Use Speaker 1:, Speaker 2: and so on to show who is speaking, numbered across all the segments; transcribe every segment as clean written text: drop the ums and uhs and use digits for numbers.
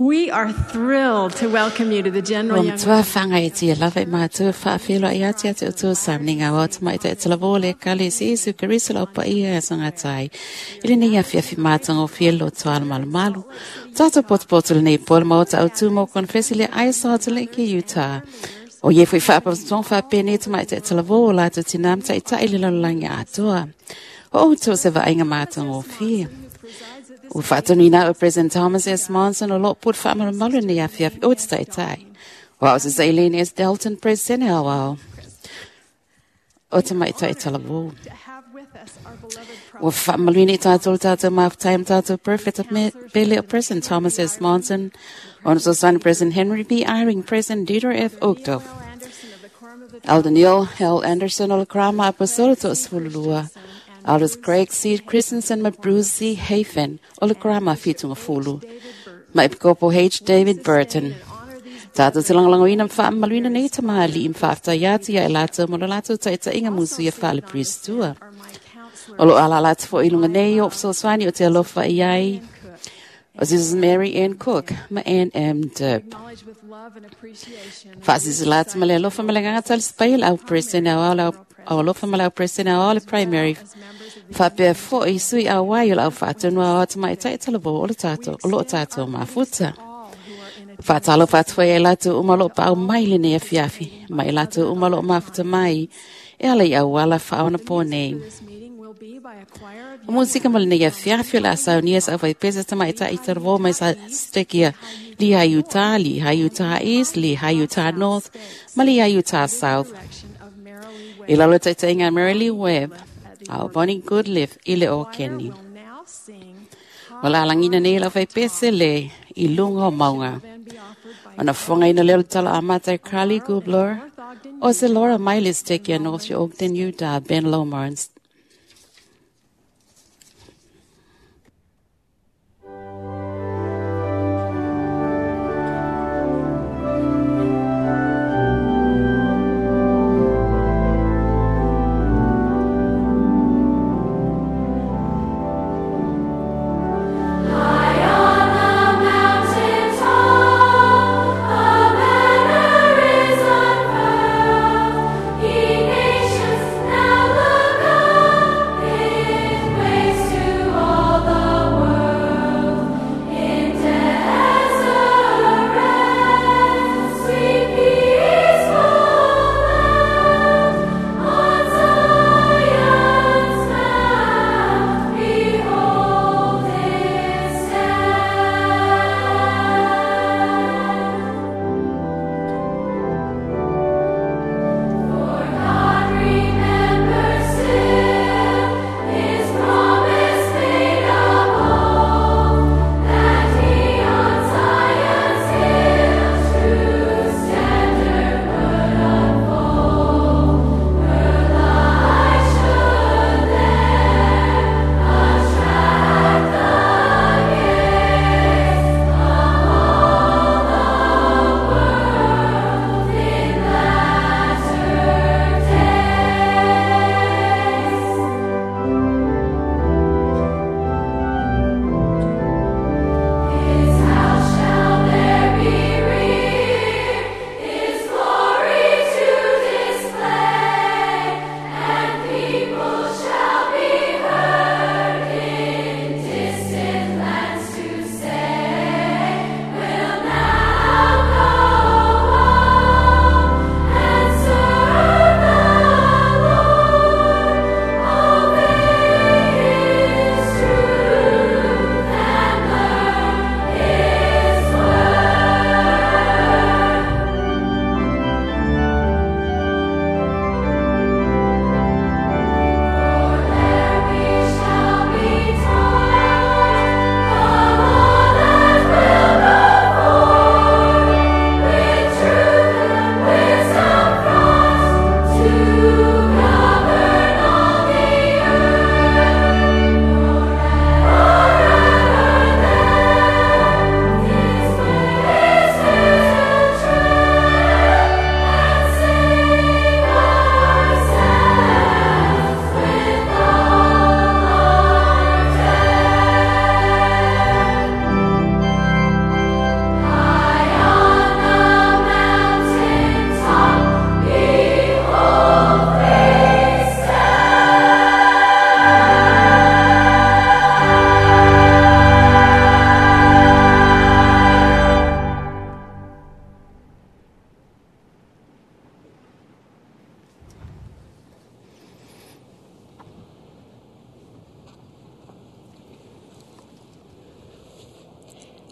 Speaker 1: We are thrilled to welcome you to the General
Speaker 2: Ua
Speaker 1: Young
Speaker 2: matua whangaetia lava i mātou whaawhelo i ati ati o tō sauni ngā wā tamai te tala vōle kale si Isu Kariso lau pa ia e sangatai. I le nei afi afi mātanga o whielo tuala malu malu. Tātou potu le nei pōle maota au tū mō konfesi le ai Salt Lake Utah. O ye fui whaapatong whaapene tamai te tala vō la te tinam tai tai le lalolangi atoa. O o tō se vainga mātanga o whia. O whaatonu o President Thomas S. Monson o lo put whaamalumalu ni afi afi o te tai tai. O au se Zailene S. Dalton President au au. O te mai tai tala vō.
Speaker 1: to have with us our beloved
Speaker 2: O whaamaluini tātou tātou mawhtai tātou perfect of me pele o President Thomas S. Monson. O so son President Henry B. Eyring, President Dieter F. Uchtdorf.
Speaker 1: Anderson of the Quorum of the
Speaker 2: Elder Neil L. Anderson o le Krama Apostolo to Sfululua. Elders Craig C. Christensen ma Bruce C. Hafen o le Krama Fitunga Fulu. Ma Epikopo H. David Burton. Tātou te langalangoina mwhaamaluina nei ta maali im whaafta iati ia e lātou mo lo lātou taita inga musu ia whaale pristua.
Speaker 1: are my counselor
Speaker 2: O lo ala lātou fo ilunga nei o fsoswani o te alofa i ai. O Mrs. Mary Ann Cook ma Ann M. Dibb.
Speaker 1: acknowledge with love and appreciation
Speaker 2: Whaasisi lātou ma le alofa ma le nganga tali spail au presene au au au alofa ma le au presene au au le primary. Whapea fo i sui au wai o lau whaatunua o atu mai tai tala o le tātou, o lo tātou mafuta.
Speaker 1: all who are in a
Speaker 2: Whaatalo whaatua e lātou umalo pa au mai le nei afiafi, mai lātou umalo mafuta mai, e ala i au ala whaona pō nei.
Speaker 1: This meeting will be by a choir of
Speaker 2: O musika mo le nei afiafi o le asau nia sa au pesa ta mai tai tara mai sa stekia Lehi Utah, Lehi Utah East, Lehi Utah North, ma Lehi Utah South.
Speaker 1: direction of Mary Lee
Speaker 2: I lalo taita inga Mary Lee Webb, au Bonnie Goodliff i le o Kenny.
Speaker 1: will now sing
Speaker 2: O la langina nei lau whai pese le i lunga o maunga.
Speaker 1: then be offered by
Speaker 2: Ona whanga ina leo tala a mātai Carly Gubler, o se Laura Miley Stekia North Ogden, Utah, Ben Lomar.
Speaker 3: High on the mountain top, a banner is unfurled. Ye nations, now look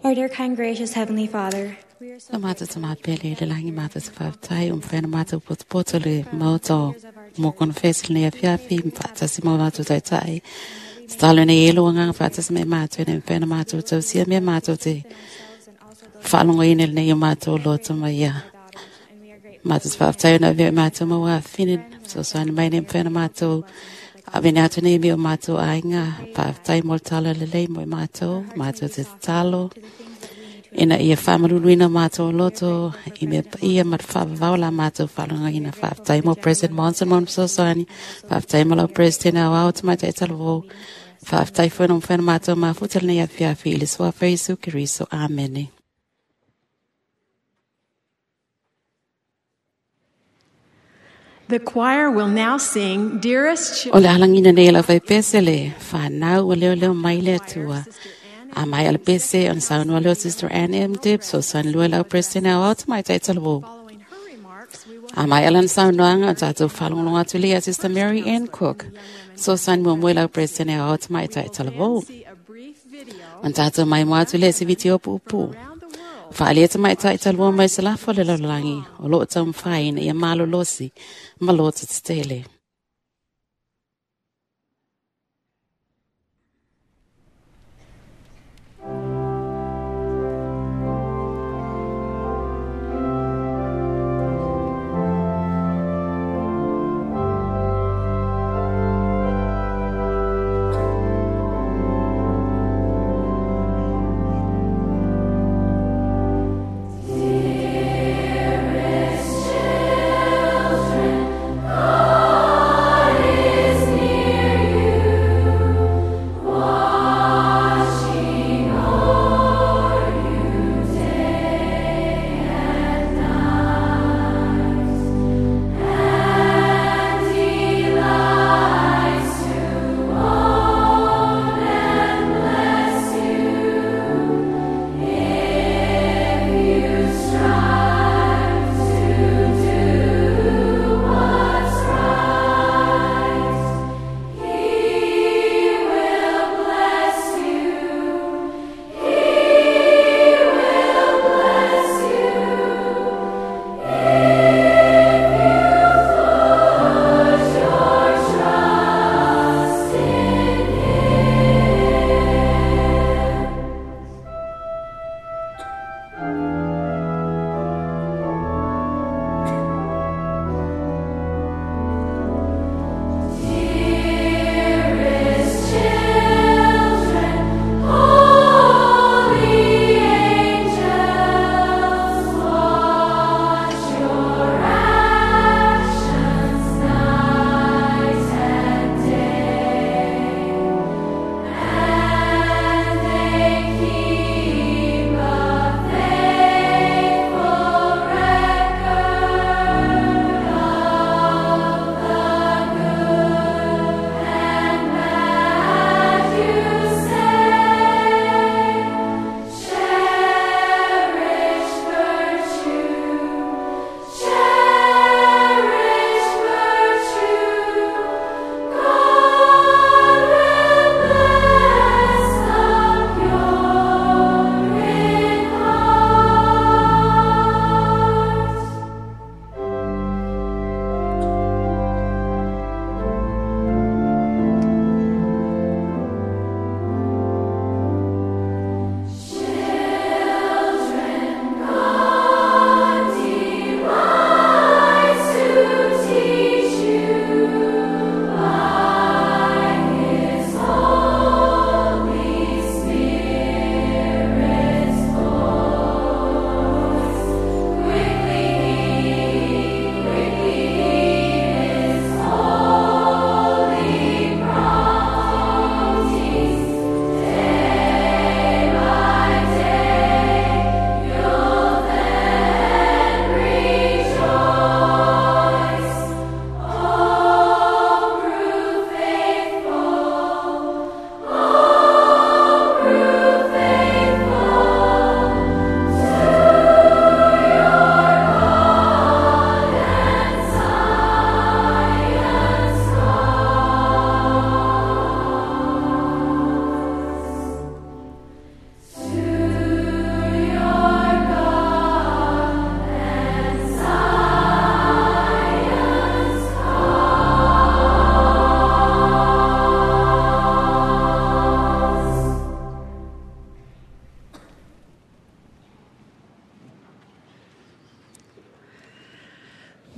Speaker 4: Our dear, kind, gracious Heavenly Father, we are so
Speaker 2: Le mātou te māpele, le langi mātou te whāptai, whena mātou potopoto le maota o mō konfesi le nei afiafi, whaatasi mō mātou taitai. Tatalo nei e lo nganga whaatasi me mātou, nei whena mātou tausia mea mātou te whaalongo ina le nei o mātou loto mai ia. Mātou te whāptai o na veo mātou maua whine, so soani mai nei whena mātou, a vene atu nei mea o mātou ainga, whāptai mō le talo le lei mo mātou, mātou te talo. Ina ia whamaruluina mātou loto, i mea ia ma te whaavavao la mātou whalonga ina whaaftai mo President Monson mo Msosani, whaaftai mo lau President au au te maitai talavou, whaaftai whena mo whena mātou mafuta le nei afiafi i le suafa Isu Keriso. Amene.
Speaker 1: The choir will now sing Dearest
Speaker 2: O le alangina nei lau faipese le whanau o leo leo mai le atua. A mai ala pese on saunua leo Sister Anne M. Dibbs o san lua lau President au au te maitai talavou.
Speaker 1: Following her remarks, we will
Speaker 2: A mai alan saunoaga o tatou faalogologo atu lea Sister Mary Ann Cook. So san mo moe lau President au te maitai talavou.
Speaker 1: see a brief video
Speaker 2: On tatou mai mo atu lea se vitio puupuu.
Speaker 1: around the world
Speaker 2: Whaalia te maitai talavou mai se lafo le lalolagi o loo taumafai ina ia malolosi ma loto tetele.
Speaker 3: Dearest children,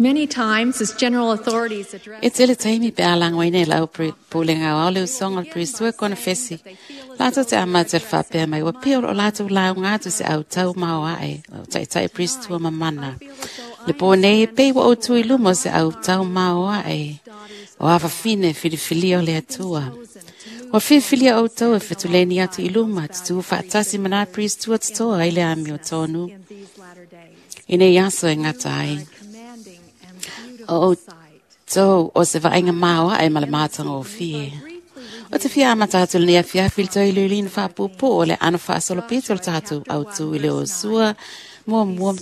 Speaker 1: Many times, as general authorities address
Speaker 2: E tele taimi pe a langoina e lau pulenga o le usoga le Priest kona fesi. Latou te amata le faapea mai ua pei o loo latou lauga atu se autau maoae o taitai Priest mamana. Le po nei e pei ua outou i luma o se autau maoae o afafine filifilia o le Atua. Ua filifilia outou e fetuleni atu i luma tutu faatasi ma nā Priest totoa ai le ami o tonu.
Speaker 1: in these latter days.
Speaker 2: Ina i aso e ngata ai.
Speaker 1: A commanding and
Speaker 2: O
Speaker 1: beautiful sight.
Speaker 2: outou o se vaaiga maoae ma le matagofie. O te fia amata atu lenei afiafi i le toe iloiloina faapuupuu o le ano faasolopito o le tatou autu i le Iosua muamua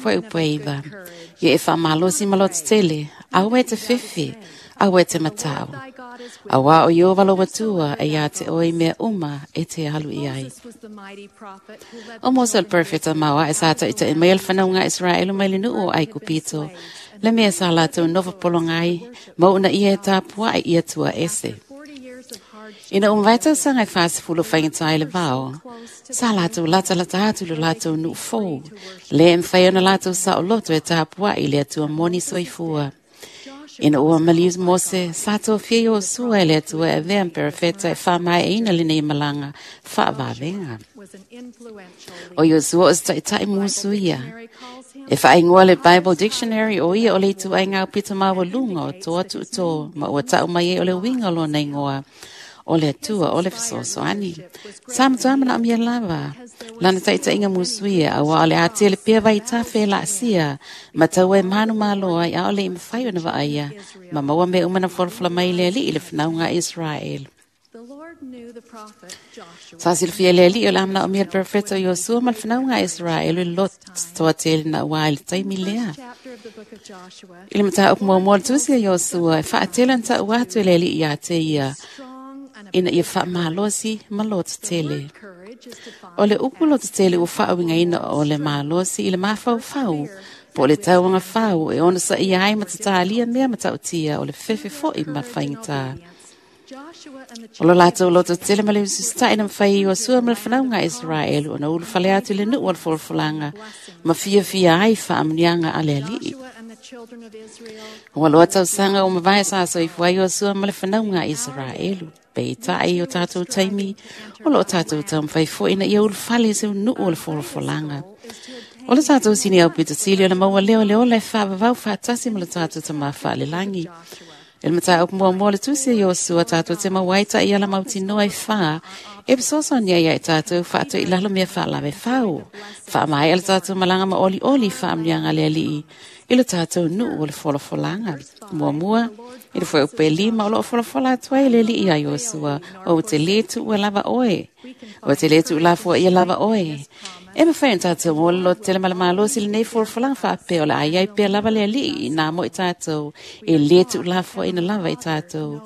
Speaker 2: fuaiupu e 9. Ia e faamalosi ma loto tele, aua e te fefe, aua e te matau.
Speaker 1: Thy God is with
Speaker 2: Auā o Iowa lo atua e ia te oe i mea uma e te alu i ai.
Speaker 1: Moses was the mighty prophet who led
Speaker 2: O
Speaker 1: the
Speaker 2: Mose le
Speaker 1: children of
Speaker 2: profeta maoa e sa taʻitaʻi mai le fanauga Israelu mai le nuu o Aikupito. Le mea sa latou nofo pologai, ma una ia e tapuaʻi ia tua ese.
Speaker 1: 40 years of hardship
Speaker 2: Ina umavae tausaga e 40 faigata ai le vao, sa latou latalata atu i lo latou nuu fou, le e mafai ona latou saoloto e tapuaʻi i le Atua moni soifua. Ina ua maliu Mose, sa tofia Iosua e le Atua e avea ma perofeta e faamaeaina lenei malaga faavavega.
Speaker 1: was an influential
Speaker 2: O Iosua o se taʻitaʻi musu ia.
Speaker 1: Mary calls him
Speaker 2: E whaingoa le Bible Dictionary o ia o le itu ai ngā pito maualuga o toa tuuto ma ua tau mai ai o le uiga o lona ingoa o le Atua o le fesoasoani. Sa matua manaomia lava. Lana taʻitaʻiga musuia auā o le a tele pea vaitafe e laasia ma taua e manu malo ai aʻole i mafai ona vaaia ma maua mea uma na folafola mai le alii i le fanauga a Israel.
Speaker 1: The Lord knew the prophet Joshua
Speaker 2: Sa silafia le alii o le amanaomia le profeta o Iosua ma le fanauga a Israel i le loto toa tele na uā i le taimi lea.
Speaker 1: chapter of the book of Joshua
Speaker 2: I le mataupu muamua o le tusi a Iosua e faatele ona taʻu atu e le alii iā te ia
Speaker 1: strong and
Speaker 2: ina ia faamalosi ma loto tele.
Speaker 1: courage is defined
Speaker 2: O le upu loto tele ua faauigaina o le malosi i le mafaufau po o le tauaga fau e ona saia ai ma tatalia mea ma taʻutia o le fefe foʻi ma faigata.
Speaker 1: Joshua and the
Speaker 2: O lo latou loto tele ma le ususitaʻi na mafai e Iosua ma le fanauga a Israelu ona ulufale atu i le nuu o le folafolaga ma fiafia ai faamanuiaga a le alii.
Speaker 1: Joshua and the children of Israel
Speaker 2: Ua loa tausaga o mavae sa soifua ai Iosua ma le fanauga a Israelu. Peitai o tatou taimi, o loo tatou taumafai foʻi ina ia ulufale i se nuu o le folafolaga. O le tatou sini au pitotili o le maua lea o le ola e faavavau faatasi ma le tatou tamā faalelagi. E le mataupu muamua o le tusi a Iosua tatou te maua ai taʻiala mautinoa e fā e fesoasoani ai ia i tatou faatoʻi lalo mea faalave fau. Faamaea le tatou malaga ma olioli faamanuiaga a le alii i le tatou nuu o le folafolaga. Muamua, i le fuaiupu e 5 o loo folafola atu ai le alii ia Iosua, o te lē tuua lava oe. O te lē tuulafoaia lava oe. E mafai ona tatou mo le loto tele ma le malosi lenei folafolaga faapea o le ai ai pea lava le alii i nā mo i tatou e lē tuulafoaina lava i tatou.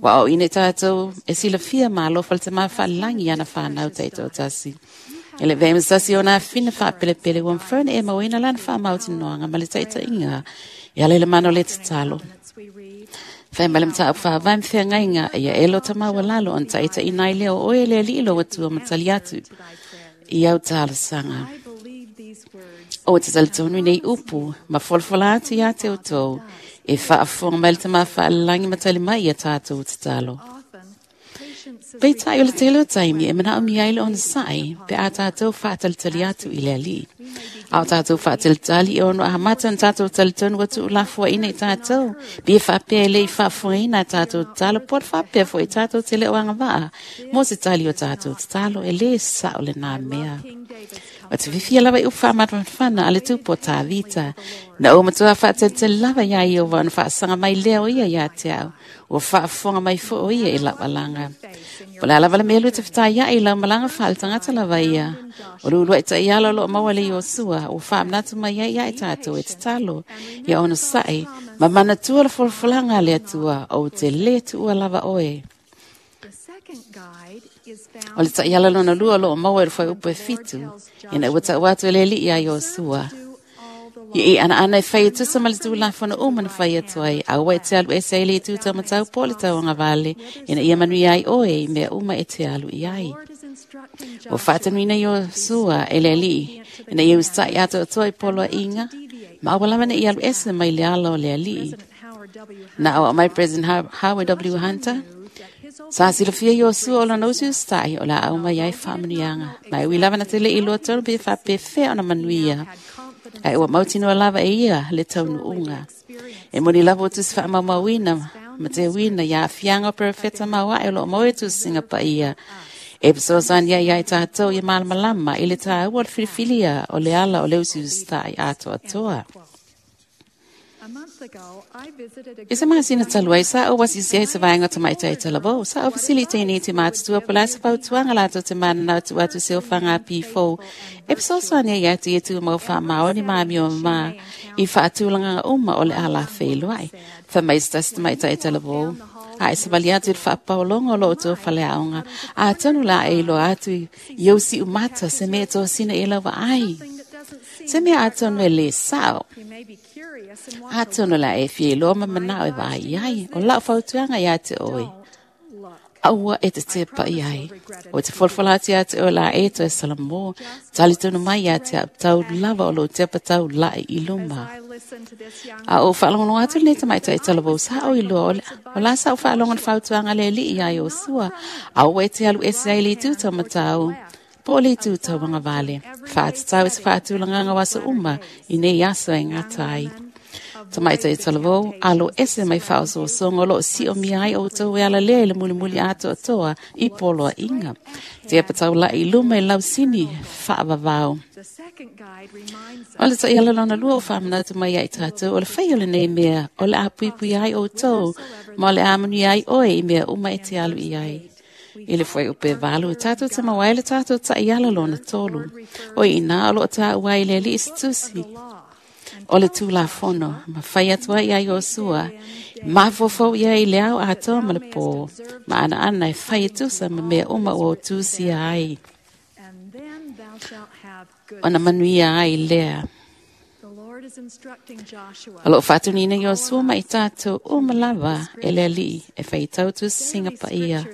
Speaker 2: Ua o ina i tatou e silafia malofa le tamā faalelagi ana whanau taitoatasi. E le vea masasi o nā whina whaapelepele ua mawhana e mauina lana whaamautinoanga ma le taitaiga. E ala i le mana o le tatalo.
Speaker 1: as we read
Speaker 2: Whai ma le mataupu faavae ma feagaiga ia e lo tamaua lalo ona taʻitaʻina ai lea o oe le alii lo atua ma tali atu
Speaker 1: to thy prayers.
Speaker 2: i au talosaga.
Speaker 1: I believe these words
Speaker 2: O te talitonu i nei upu, ma folafola atu iā te outou, e faafofoga mai le tamā faalelagi ma tali mai ia tatou tatalo.
Speaker 1: often patience is
Speaker 2: Peitai o le tele o taimi e manaomia ai le onosaʻi pe a tatou faatalitali atu i le alii. A o tatou faatalitali e ono ahamata ona tatou talitonu ua tuulafoaina i tatou, pe faapea e lē i faafofogaina a tatou tatalo po o le faapea foʻi tatou te le o agavaa mo se tali o tatou tatalo e lē saʻo lenā mea.
Speaker 1: King David's
Speaker 2: O te fifia lava i upu faamafanafana a le tupu o Tāvita. Na o matua faatalitali lava iā Iowa ona faasaga mai lea o ia iā te au. Ua faafofoga mai foʻi o ia i laualaga. Po o le a lava le mea lua te fetaiaʻi i lau malaga faaletagata lava ia. O le uluaʻi taʻiala o loo maua le Iosua ua faamanatu mai ai ia i tatou e tatalo. Ia onosaʻi ma manatua le folafolaga a le Atua ou te lē tuua lava oe.
Speaker 1: The second guide is
Speaker 2: O le
Speaker 1: found
Speaker 2: taʻiala lona lua o loo maua i le fuaiupu e 7. Ina ua taʻu atu e le alii iā Iosua.
Speaker 1: to all the
Speaker 2: Ia i ana ana e whai e tusa ma le tūlafono uma na whai atu ai, aua e te alu ese ai le i tūtau matau po le tauanga vale, ina ia manuia ai oe i mea uma e te alu i ai.
Speaker 1: Lord is instructing
Speaker 2: O
Speaker 1: Joshua
Speaker 2: whaatanuina i o sua e le alii, ina ia ustai atoatoa i poloa inga, Ma aua lava ne i alu ese mai le ala o le alii. Na au mai President Howard W. Hunter. Sa silafia Iosua o lana usi usitai o le a aumai ai faamanuiaga. Ma e ui lava na te le i iloa tonu pe faapefea ona manuia. Ae ua mautinoa lava e ia le taunuuga. E moni lava ua tusi faamaumauina ma teuina i aafiaga o perofeta mauae o loo maua i tusiga paia. E fesoasoani ai ia i tatou ia malamalama i le taua o le filifilia o le ala o le usiusitai atoatoa. I se masina talu ai, sa ou asisi ai se vaega o tamaitai talavou. Sa ou fesili i teiniti matutua po o le a se fautuaga latou te mananao e tuu atu i se ofaga pifou e fesoasoani ai ia te ia tumau faamaoni ma amio mama i faatulagaga uma o le a lafeiloai. Fai mai se tasi tamaitai talavou, A e savali atu i le faapaologa o lo outou faleaoga, atonu o le a e iloa atu i ou siumata se mea e tosina i lau vaai. Se mea atonu e lē sao. Atonu o le a e fia iloa ma manao e vaai i ai. O lau fautuaga ia te oe, aua e te tepa i ai. O te folafola atu ia te oe o le a e toe salamo, talitonu mai ia te au, tau lava o lou tepa taulai i luma. A ou faalogologo atu i lenei tamaitai talavou, sa ou iloa o le, o la sa ou faalogo i le fautuaga a le Alii iā Iosua, aua e te alu ese ai i le itu taumatau, po o le itu tauagavale. Faatatau i se faatulagaga o aso uma i nei aso e gata ai. Tamaitai talavou, alo ese mai faaosoosoga o lo o siomia ai outou e ala lea i le mulimuli atoatoa i poloaiga. Tepa taulai i luma i lausini faavavao. O le taiala lona lua o faamanatu mai ia i tatou, o le fai o lenei mea, o le a puipuia ai outou, ma o le a manuia ai oe i mea uma e te alu i ai. I le fuaiupu e 8, e tatou te maua ai le tatou taiala lona tolu. O i ina o lo o taua ai le Alii se tusi o le Tulafono, ma fai atu ai iā Iosua, mafaufau i ai i le ao atoa ma le pō, ma anaana e fai e tusa ma mea uma ua ou tusia ai, ona manuia ai lea. O lo o faatuniina Iosua ma i tatou uma lava e le Alii e faitau tusiga paia.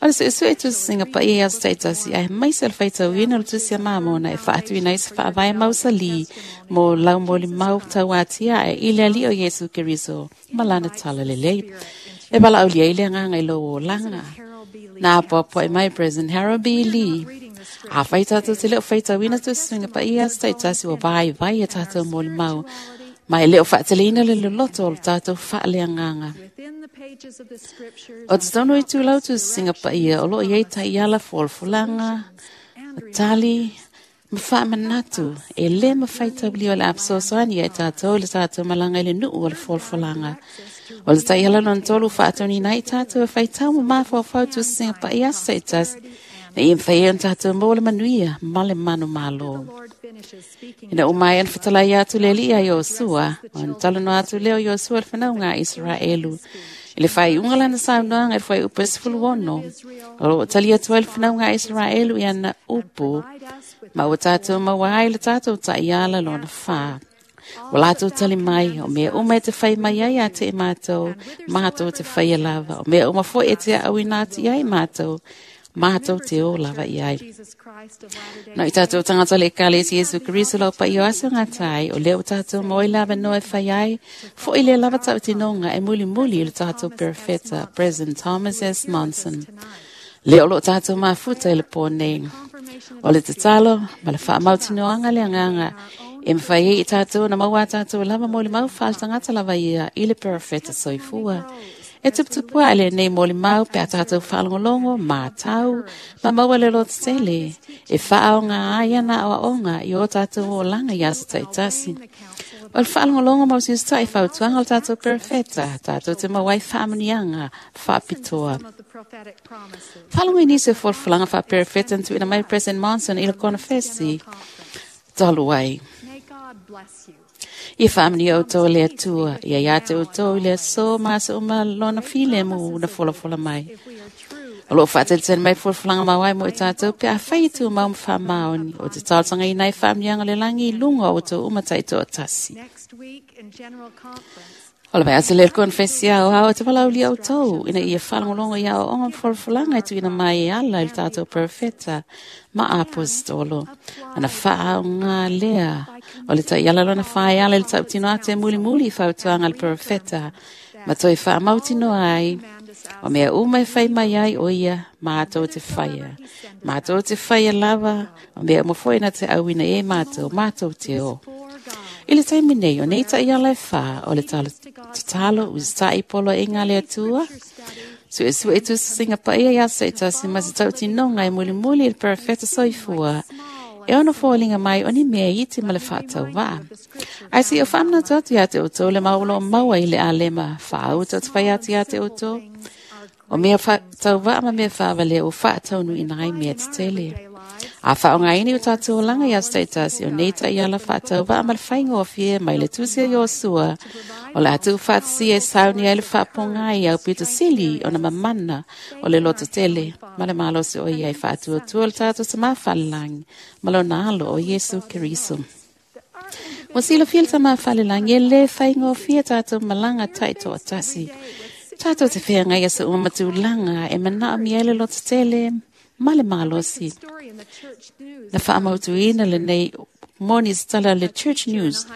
Speaker 2: O le suesue tusiga paia i aso taitasi, aemaise o le faitauina o le tusi a Mamona e faatuina ai se faavae mausalī mo lau molimau tauatiae i le Alii o Iesu Keriso ma lana talalelei. E valaaulia ai le agaga i lou olaga. Na apoapoai mai President Harold B. Lee. Afai tatou te le o faitauina tusiga paia i aso taitasi, ua vaivai a tatou molimau, ma e le o faateleina le loloto o le tatou faaleagaga. O totonu o itulau tusiga paia o lo o i ai taiala folafolaga, tali, ma faamanatu e lē mafai taulia o le a fesoasoani ia i tatou i le tatou malaga i le nuu o le folafolaga. O le taiala lona tolu faatoniina ai tatou e faitau ma mafaufau tusiga paia aso taitasi, ina ia mafai ai ona tatou maua le manuia ma le manumalo. Ina ua maea ona fetalai atu le Alii ia Iosua, ona talanoa atu lea o Iosua i le fanauga a Isaraelu. I le faaiuga o lana saunoaga i le fuaiupu e 16, o lo o tali atu ai le fanauga a Isaraelu i ana upu, ma ua tatou maua ai le tatou taiala lona fa. Ua latou tali mai, o mea uma e te fai mai ai ia te i matou, matou te faia lava. O mea uma foi e te aauina atu i ai matou, matou te o lava i ai. No i tatou tagata o le Ekalesia Iesu Keriso lau paia o aso gata ai, o lea ua tatou maua i le avanoa e fai ai, foi lea lava tautinoga e mulimuli i le tatou perofeta, President Thomas S. Monson. Lea o lo o tatou mafuta i le pō nei. O le tatalo ma le faamautinoaga le agaga e mafai ai i tatou ona maua a tatou lava molimau faaletagata lava ia i le perofeta soifua. E tuputupu ae lenei molimau pe a tatou faalogologo, matau, ma maua le lototele e faaaoga ai ana aoaoga i o tatou olaga i aso taitasi. O le faalogologo ma usiusitai fautuaga o le tatou perofeta, tatou te maua ai faamanuiaga faapitoa. Faalogo i nisi o folafolaga faaperofeta na tuuina mai e President Monson i le konofesi talu ai. Ia faamanuia outou e le Atua, ia ia te outou i le aso ma aso uma lona filemu na folafola mai. O lo o faatalitali mai folafolaga mauae mo i tatou pe afai e tumau ma faamaoni, o te talosagaina ai faamanuiaga o le lagi i luga o outou uma taitoatasi. O le vaiaso lea le konefesi aoao e te valaaulia outou ina ia faalogologo i aoaoga ma folafolaga e tuuina mai e ala i le tatou perofeta ma aposetolo. Ana faaaoga lea o le taiala lona faeala i le tautino atu e mulimuli i fautuaga a le perofeta ma toe faamautinoa ai o mea uma e fai mai ai o ia matou te faia. Matou te faia lava o mea uma foi na te auina e matou, matou te o. I le taimi nei, o nei taiala e whā o le tatalo usitai poloaiga a le Atua, suesue tusitusiga paia i aso taitasi ma se tautinoga e mulimuli i le perofeta soifua, e ono foliga mai o ni mea iti ma le faatauvaa. Ae seia faamanatu atu ia te outou le mau o lo o maua i le alema faauta o te fai atu ia te outou. O mea tauvaa ma mea faavalea ua faataunuuina ai mea tetele. A faaaogaina i o tatou olaga i aso taitasi o nei taiala faatauvaa ma le faigofie mai le tusi o Iosua, o le a tuufaatasia e sauni ai le faapogai aupito sili ona mamana o le lototele ma le malosi o ia e faatuatua le tatou Tamā Falelagi ma lona alo o Iesu Keriso. Ua silafia le Tamā Falelagi e lē faigofie tatou malaga taitoatasi. Tatou te feagai aso uma ma tulaga e manaomia ai le lototele ma le malosi. Na faamautuina lenei moni se tala le Church News.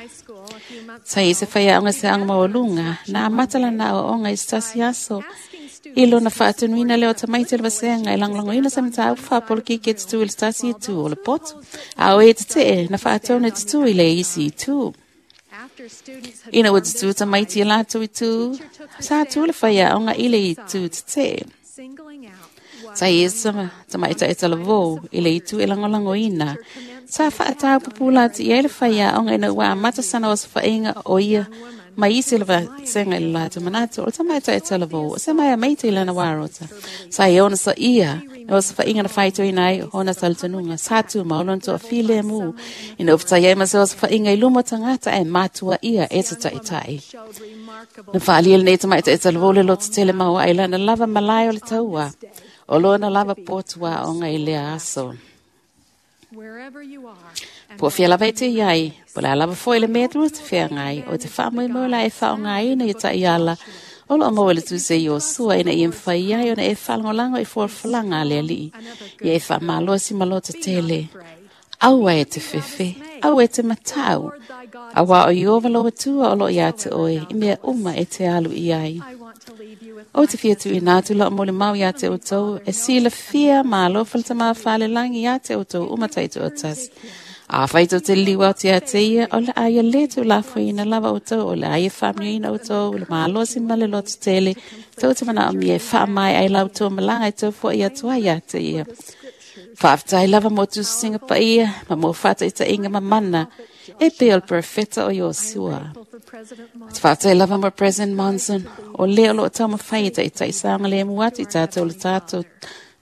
Speaker 2: Sa i se faiaoga se aoga maualuga, na amata lana aoaoga i se tasi aso. I lona faatunuina lea o tamaiti o le vasega e lagolagoina se mataupu faapolokiki e tutū i le tasi itu o le poto, a o e tetee na faatonu e tutū i le isi itu. Ina ua tutū tamaiti i latou itu, sa tū le faiaoga i le itu tetee. Sa i se tamaitai talavou i le itu e lagolagoina. Sa faatau pupula atu i ai le faiaoga ina ua amata sana osofaiga o ia ma isi o le vasega i le latou manatu o le tamaitai talavou o se maea maite i lana warota. Sa ia ona saia na osofaiga na faitoina ai ona talitonuga. Sa tumau lona toafilemu ina ua fetai ai ma se osofaiga i luma o tagata ae matua ia e te taitai. Na faaalia lenei tamaitai talavou le lototele maoae i lana lava malae o le taua o lona lava potu aoga i lea aso. Po o fea lava e te i ai, po o le a lava foi le mea tua te feagai, o te faamoemoe la e faaaogaina i taiala o lo o maua i le tusi a Iosua ina ia mafai ai ona e faalagolago i folafolaga a le Alii, ia e faamalosi ma lototele. Aua e te fefe, aua e te matau, auā o Ieova lou Atua o lo o ia te oe i mea uma e te alu i ai. Ou te fia tuuina atu lau molimau ia te outou, e silafia ma alofa le Tama Falelagi ia te outou uma taitoatasi. Afai tou te liliu atu ia te ia, o le a ia lē tuulafoaiina lava outou, o le a ia faamanuiaina outou i le malosi ma le lototele, tou te manaomia e faamaea ai la outou malaga e tou foai atu ai ia te ia. Faafetai lava mo tusitusiga paia ma mo faataitaiga mamana e pei o le perofeta o Iosua. Ou te faafetai lava mo President Monson, o lea o lo o taumafai e taitai saogalemu atu i tatou le tatou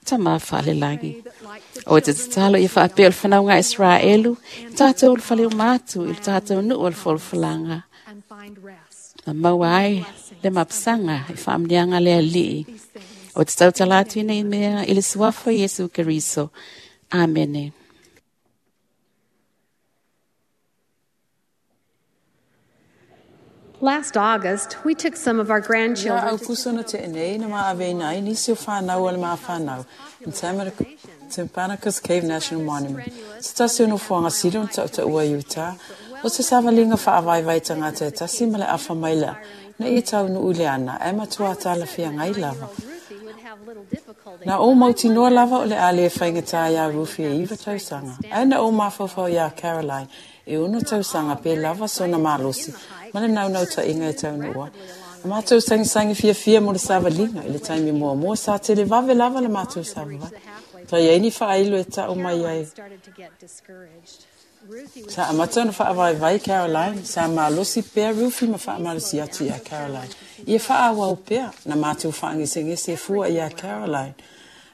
Speaker 2: Tama Falelagi. O te tatalo ia faapea o le fanauga a Israelu, i tatou le fale uma atu i le tatou nuu o le folafolaga. Na maua ai le mapusaga i faamanuiaga a le Alii. O te tautala atu i nei mea i le suafa o Iesu Keriso. Amene.
Speaker 1: Last August, we took some of our
Speaker 5: Ia
Speaker 1: grandchildren to
Speaker 5: Aukuso na tea nei na maaveina ai nisi o whanau o le maawhanau in Timpanogos Cave National Monument. Se tasi o nofoaga sili ona tautaua i Utah, o se savaliga faavaivai tagata e tasi ma le afa maila ina ia taunuu i le ana, ae matua talafeagai lava. Na ou mautinoa lava o le a le faigata iā Rufi e 9 tausaga, ae na ou mafaufau iā Caroline e 6 tausaga pe lava sona malosi ma le naunautaiga e taunuu ai. Na matou sagisagi fiafia mo le savaliga i le taimi muamua sa televave lava le matou savavali. Sa i ai ni faailo e tau mai ai. Sa amata ona faavaivai Caroline, sa malosi pea Rufi ma faamalosi atu iā Caroline. Ia faaauau pea, na matou faagesegese e fua iā Caroline.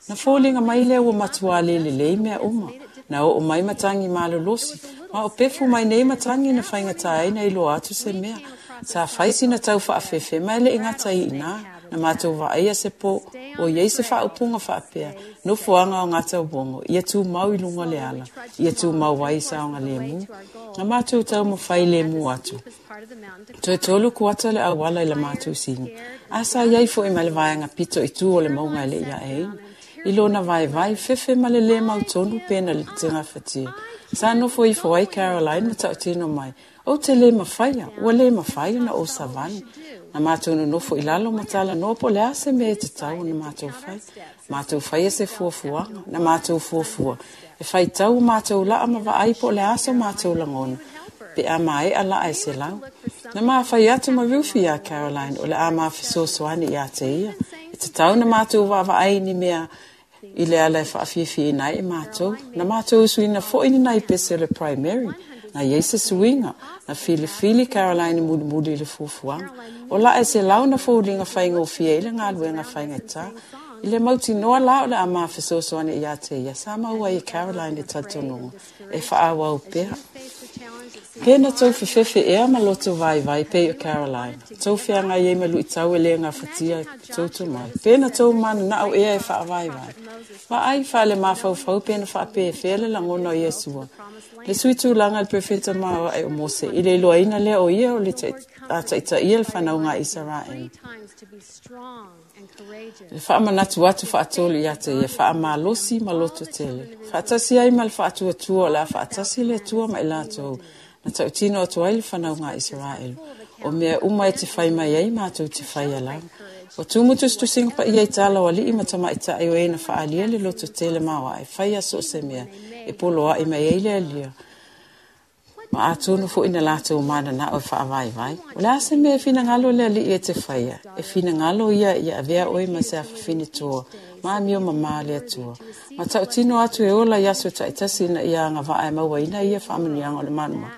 Speaker 5: Na foliga mai lea ua matuā le lelei mea uma. Na oo mai matagi malolosi, ma o pefu mai nei matagi na faigata ai na iloa atu se mea. Sa fai sina tau faafefe ma e le i gata ai i inā. Na mātou vaaia se pō, o iai se faaupuga faapea, nofoaga o gatauogo, ia tumau i luga o le ala, ia tumau ai saogalemu. Na matou taumafai lemu atu. Toe tolu kuata le auala i la matou sini. A sa iai foi ma le vaega pito i tu o le mauga e le i aeina. I lona vaivai, fefe ma le lē mautonu pe na tegafatia. Sa nofo ifo ai Caroline ma tautino mai, Ou te lē mafaia, ua lē mafai ona ou savali. Na matou nonofo i lalo ma talanoa po o le a se mea e tatau ona matou fai. Matou faia se fuafuaga, na matou fuafua e faitau o matou laa ma vaai po o le a so matou lagona pe a maea laa e 100. Na ma fai atu ma Rufi iā Caroline o le a ma fesoasoani ia te ia. E tatau ona matou vaavaai i ni mea i le ala e faafiafiaina ai i matou. Na matou usuina foi ni nai pese o le primary. Na iai se suiga, na filifili Caroline e mulimuli i le fuafuaga. O laa e 100 na foliga faigofie ai le galuega faigata. I le mautinoa la o le a ma fesoasoani ia te ia, sa maua ai e Caroline le talitonuga e faaauau pea. Pe na tou fefefe ea ma loto vaivai pei o Caroline, tou feagai ai ma luitau e le gafatia tou tomai. Pe na tou mananao ea e faavaivai. Vaai faale-mafaufau pe na faapefea le lagona o Iesua, le sui tulaga i le perofeta maoae o Mose, i le iloaina lea o ia o le a taitaia le fanauga a Isaraelu. Le faamanatu atu faatolu ia te ia, faamalosi ma loto tele. Faatasi ai ma le faatuatua o le a faatasi le Atua ma i latou, na tautino atu ai le fanauga a Isaraelu. O mea uma e te fai mai ai matou te faia lava. Ua tumu tusitusiga paia i tala o alii ma tamaitai o e na faaalia le loto tele maoae, faia so o se mea e poloai mai ai le Alia. Ma atonu foi na latou mananao e faavaivai. O le a se mea e finagalo le Alii e te faia? E finagalo ia ia avea oe ma se afafine toa, ma amio mamā le Atua. Ma tautino atu e ola i aso taitasi ina ia agavaa e mauaina ia faamanuiaga o le malumalu,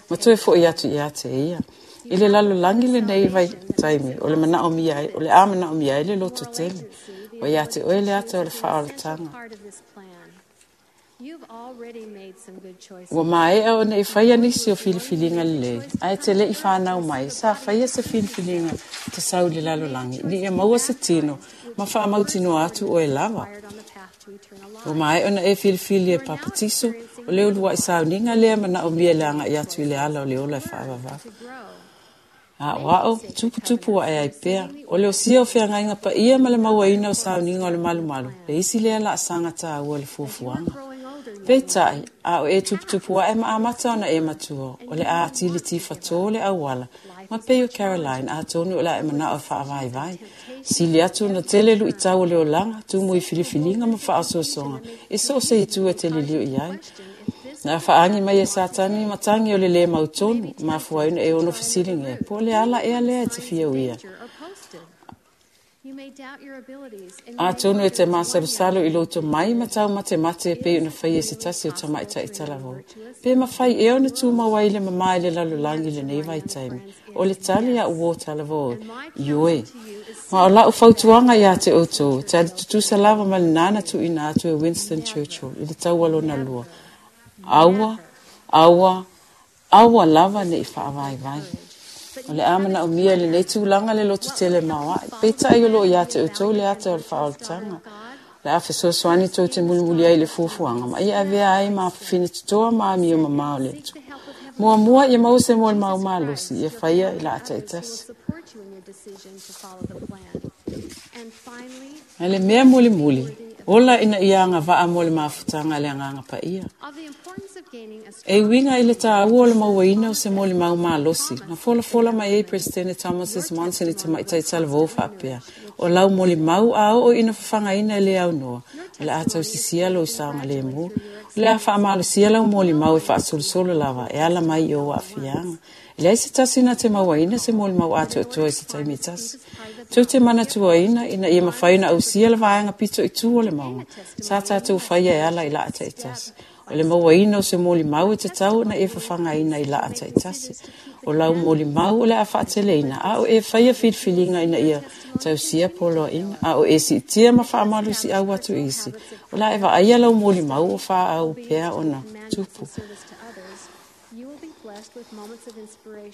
Speaker 5: ma toe foi atu ia te ia. I le lalolagi lenei vaitaimi, o le manaomia ai, o le a manaomia ai le loto tele. Ua ia te oe le ata o le faaolataga. Ua maea ona e faia nisi o filifiliga lelei, ae te le i whanau mai, sa faia se filifiliga te sau i le lalolagi, ina ia maua se tino ma faamautinoa atu oe lava. Ua maea ona e filifili e papatiso, o le uluai sauniga lea manaomia le agai atu i le ala o le ola e faavavau. Aoao, tuputupu ae ai pea. O le osia o feagaiga paia ma le mauaina o sauniga o le malumalu, le isi lea laasaga taua i le fuafuaga. Peitai, a o e tuputupu ae ma amata ona e matua, o le a atili tifatō le auala, ma pei o Caroline, atonu o le a e manao e faavaivai. Sili atu ona tele luitau o le olaga, tumu i filifiliga ma faaosoosoga, e so o se itu e te liliu i ai. Na faaagi mai e Satani ma tagi o le lē mautonu, mafua ai ona e ono fesiligia, po o le ala ea lea e te fia uia. Atonu e te masalusalu i lou tomai ma taumatemate e pei ona faia e se tasi o tamaitai talavou. Pe mafai ea ona tumau ai le mamā i le lalolagi i lenei vaitaimi? O le tali a uō talavou, Ioe. Ma o lau fautuaga iā te outou, e tali tutusa lava ma lenā na tuuina atu e Winston Churchill i le taua lona lua, Aua, aua, aua lava ne i faavaivai. O le a manaomia i lenei tulaga le lototele maoae, peitai o lo o ia te outou le ata o le faaolataga. O le a fesoasoani tou te mulimuli ai i le fuafuaga ma ia avea ai ma afafine totoa ma amio mamao le Atua. Muamua ia maua se molimau malosi ia faia i laa taitasi. A le mea mulimuli, ola ina ia agavaa mo le mafutaga a le Agaga Paia. E uiga i le taua o le mauaina o se molimau malosi, na folafola mai ai Peresetene Thomas S. Monson i tamaitai talavou faapea, O lau molimau a oo ina fafagaina e le aunoa, o le a tausisia lou saogalemu. O le a faamalosia lau molimau e faasolosolo lava e ala mai i ou aafiaga. E leai se tasi na te mauaina se molimau atoatoa i se taimi e tasi. Tou te manatuaina ina ia mafai ona ausia le vaega pito i tu o le mauga, sa tatou faia e ala i laa taitasi. O le mauaina o se molimau e tatau ona e fafagaina i laa taitasi. O lau molimau o le a faateleina, a o e faia filifiliga ina ia tausia poloaiga, a o e siitia ma faamalosiau atu i isi, o le a e vaaia lau molimau o faaau pea ona tupu.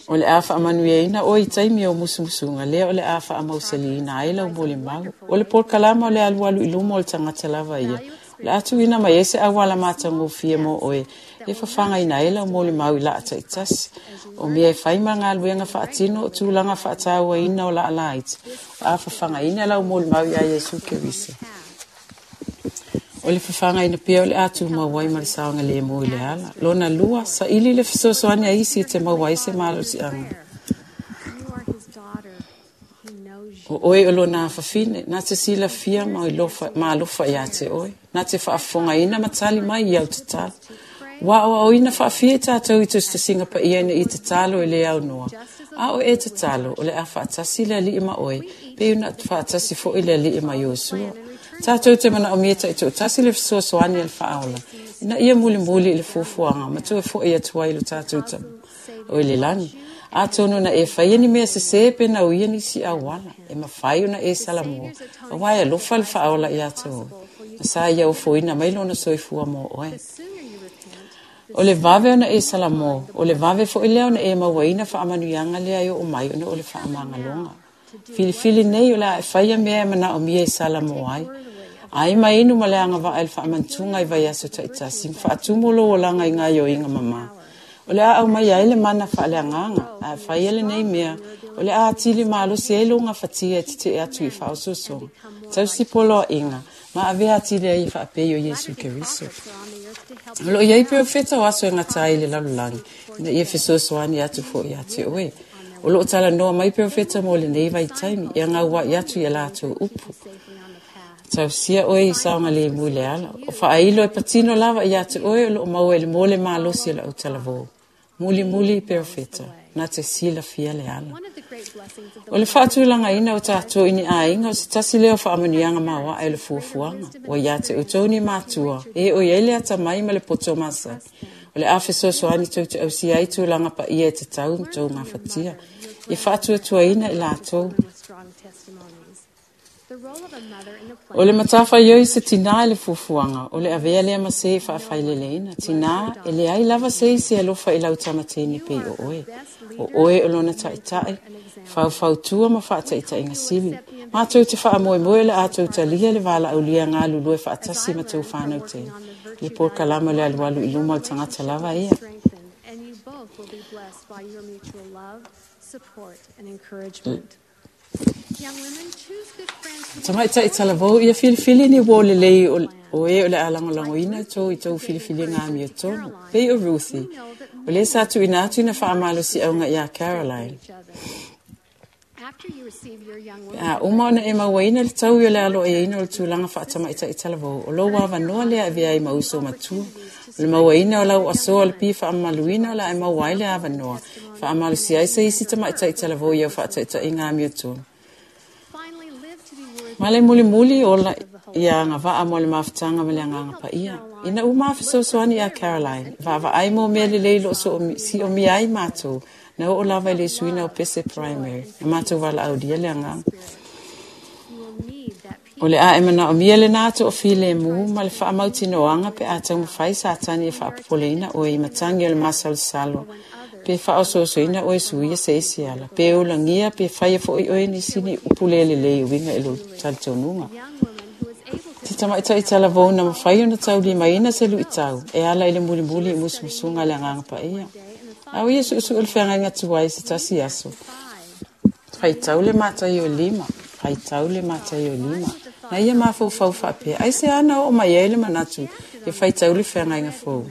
Speaker 5: O le a faamanuiaina oe i taimi o musumusuga lea o le a faamausaliina ai lau molimau. O le polokalama o le alualu i luma o le tagata lava ia. O le a tuuina mai ai se auala matagofie mo oe e fafagaina ai lau molimau i laa taitasi. O mea e fai ma galuega faatino o tulaga faatauaina o laa laiti. O a fafagaina lau molimau iā Iesu Keriso. O le fafagaina pea o le a tumau ai ma le saogalemu i le ala. Lona lua, saili le fesoasoani a isi e te maua ai se malosiaga. O oe o lona afafine, na te silafia ma alofa iā te oe, na te faafofogaina ma tali mai i au tatalo. Ua aoaoina faafia i tatou i tusitusiga paia ina ia tatalo e le aunoa. A o e tatalo, o le a faatasi le Alii ma oe, pe ona faatasi foi le Alii ma Iosua. Tatou te manaomia taitoatasi le fesoasoani a le faaola, ina ia mulimuli i le fuafuaga ma toe fo'i atu ai lo tatou tama o i le lagi. Atonu na e faia ni mea sesē pe na uia nisi auala, e mafai ona e salamo, auā e alofa le faaola iā te oe. Na sa ia ofoina mai lona soifua mo oe. O le vave ona e salamo, o le vave fo'i lea ona e mauaina faamanuiaga lea e oo mai ona o le faamagaloga. Filifili nei o le a e faia mea e manaomia e salamo ai. Ai ma inu ma le agavaa i le faamanatuga i vaiaso taitasi, ma faatumu lou olaga i gaoioiga mamā. O le a aumai ai le mana faaleagaga, ae faia lenei mea, o le a atili malosi ai lou gafatia e tetee atu i faaosoosoga, tausi poloaiga, ma avea atili ai e faapei o Iesu Keriso. O loo i ai perofeta o aso e gata ai i le lalolagi, ina ia fesoasoani atu fo'i iā te oe. O loo talanoa mai perofeta mo lenei vaitaimi, ia gaua'i atu i a latou upu. Tausia oe i saogalemu i le ala. O faailo e patino lava iā te oe o loo maua i le mo le malosi o le autalavou. Mulimuli i perofeta, na te silafia le ala. O le faatulagaina o tatou i ni aiga o se tasi lea o faamanuiaga maoae o le fuafuaga. Ua iā te outou ni matua, e o i ai le atamai ma le poto masani. O le a fesoasoani tou te ausia ai tulaga paia e tatau ma tou gafatia. Ia faatuatuaina i latou. O le matafaioi se tinā i le fuafuaga, o le avea lea ma se e faafaileleina. Tinā, e leai lava se isi e alofa i lau tama teine pei o oe. O oe o lona taitai, faufautua ma faataitaiga sili. Matou te faamoemoe o le a tou talia le valaaulia galulue faatasi ma tou fanau teine. I le polokalama o le alualu i luma o le tagata lava ia. Tamaitai talavou ia filifili ni uō lelei o e o le a lagolagoina tou i tou filifiliga amiotonu. Pei o Ruthi, o lea sa tuuina atu ina faamalosiauga iā Caroline. Pe a uma ona e mauaina le taui o le aloaiaina o le tulaga faatamaitai talavou, o lou avanoa lea e avea ai ma uso matua. O le mauaina o lau asoa o le pi faamamaluina o le a e maua ai le avanoa, faamalosia ai se isi tamaitai talavou i au faataitaiga amiotonu. Ma le mulimuli ola ia agavaa mo le mafutaga ma le agaga paia. Ina ua ma fesoasoani iā Caroline, vaavaai mo mea lelei loo siomia ai matou, na oo lava i le suiina o pese primary, na matou valaaulia le agaga. O le a e manaomia lenā toafilemu ma le faamautinoaga pe a taumafai Satani e faapopoleina oe i matagi o le masalosalo, pe faaosoosoina oe suia se isi ala, pe ulagia pe faia fo'i oe nisi ni upu le lelei e uiga i lou talitonuga. Te tamaitai talavou na mafai ona taulimaina se luitau e ala i le mulimuli i musumusuga a le agaga paia. A o ia suesue le feagaiga tuai se tasi aso. Faitau le Mataio 5, faitau le Mataio 5. Na ia mafaufau faapea, aisea na oo mai ai le manatu e faitau le feagaiga fou.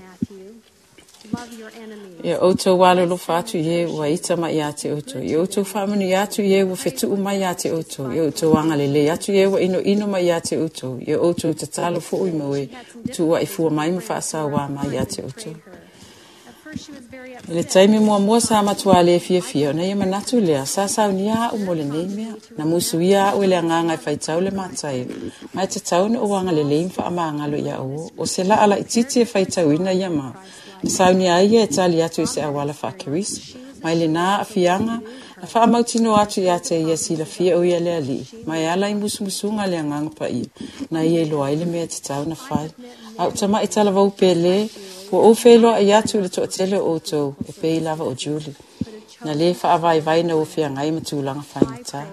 Speaker 5: Ia outou alolofa atu i e ua ita mai iā te outou. Ia outou faamanuia atu i e ua fetuu mai iā te outou. Ia outou agalelei atu i e ua inoino mai iā te outou. Ia outou tatalo fo'i mo e ua tuuaifua mai ma faasauā mai iā te outou. I le taimi muamua sa matuā le fiafia ona ia manatu lea, sa saunia a'u mo lenei mea. Na musuia a'u e le agaga e faitau le Mataio, ma e tatau ona ou agalelei ma faamagalo ia uo. O se laa laitiiti e faitauina ia ma. Na saunia ai ia e tali atu i se auala faa-Keriso. Mai lenā aafiaga, na faamautinoa atu iā te ia silafia o ia le Alii, ma e ala i musumusuga a le agaga paia, na ia iloa ai le mea e tatau ona fai. A o tama'i talavou pele, Ua ou feiloai atu i le toatele o outou e pei lava o Julie, na lē faavaivai na ua feagai ma tulaga faigata.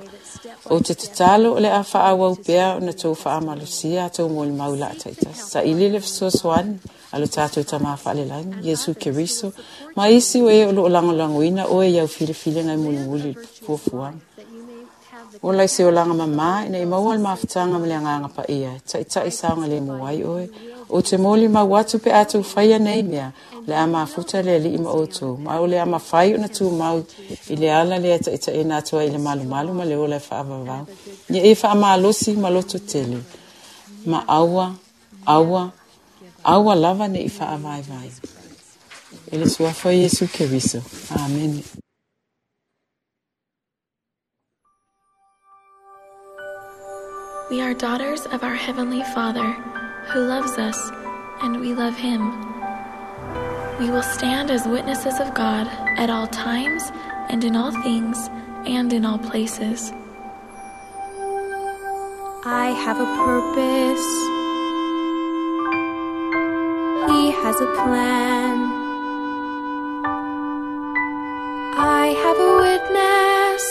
Speaker 5: Ou te tatalo o le a faaauau pea ona tou faamalosia a tou molimau laa taitasi. Saili le fesoasoani a lo tatou Tamā faalelagi, Iesu Keriso, ma isi o e o loo lagolagoina oe i au filifiliga e mulimuli i le fuafuaga. Ola i se olaga mamā ina i maua le mafutaga ma le agaga paia, e taitai saogalemu ai oe. Ou te molimau atu pe a tou faia nei mea, o le a mafuta le Alii ma outou, ma o le a mafai ona tumau i le ala lea e taitaiina atu ai i le malumalu ma le ola e faavavau. Ia e faamalosi ma loto tele, ma aua, aua, aua lava ne i faavaivai. I le suafa o Iesu Keriso. Amene.
Speaker 4: We are daughters of our Heavenly Father, who loves us, and we love Him. We will stand as witnesses of God at all times and in all things and in all places.
Speaker 3: I have a purpose. He has a plan. I have a witness.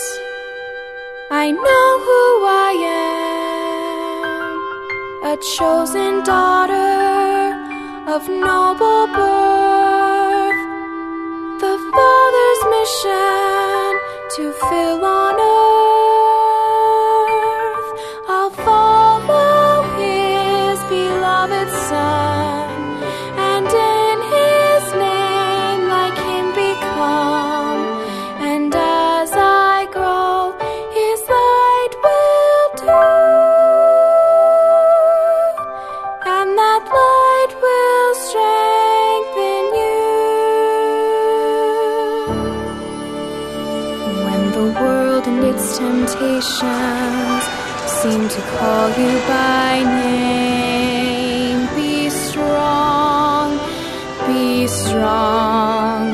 Speaker 3: I know who I am. A chosen daughter of noble birth. The Father's mission to fill on earth. I'll follow His beloved Son, and in His name like Him become. And as I grow, His light will do, and that light will strengthen you. When the world and its temptations seem to call you by name, be strong, be strong.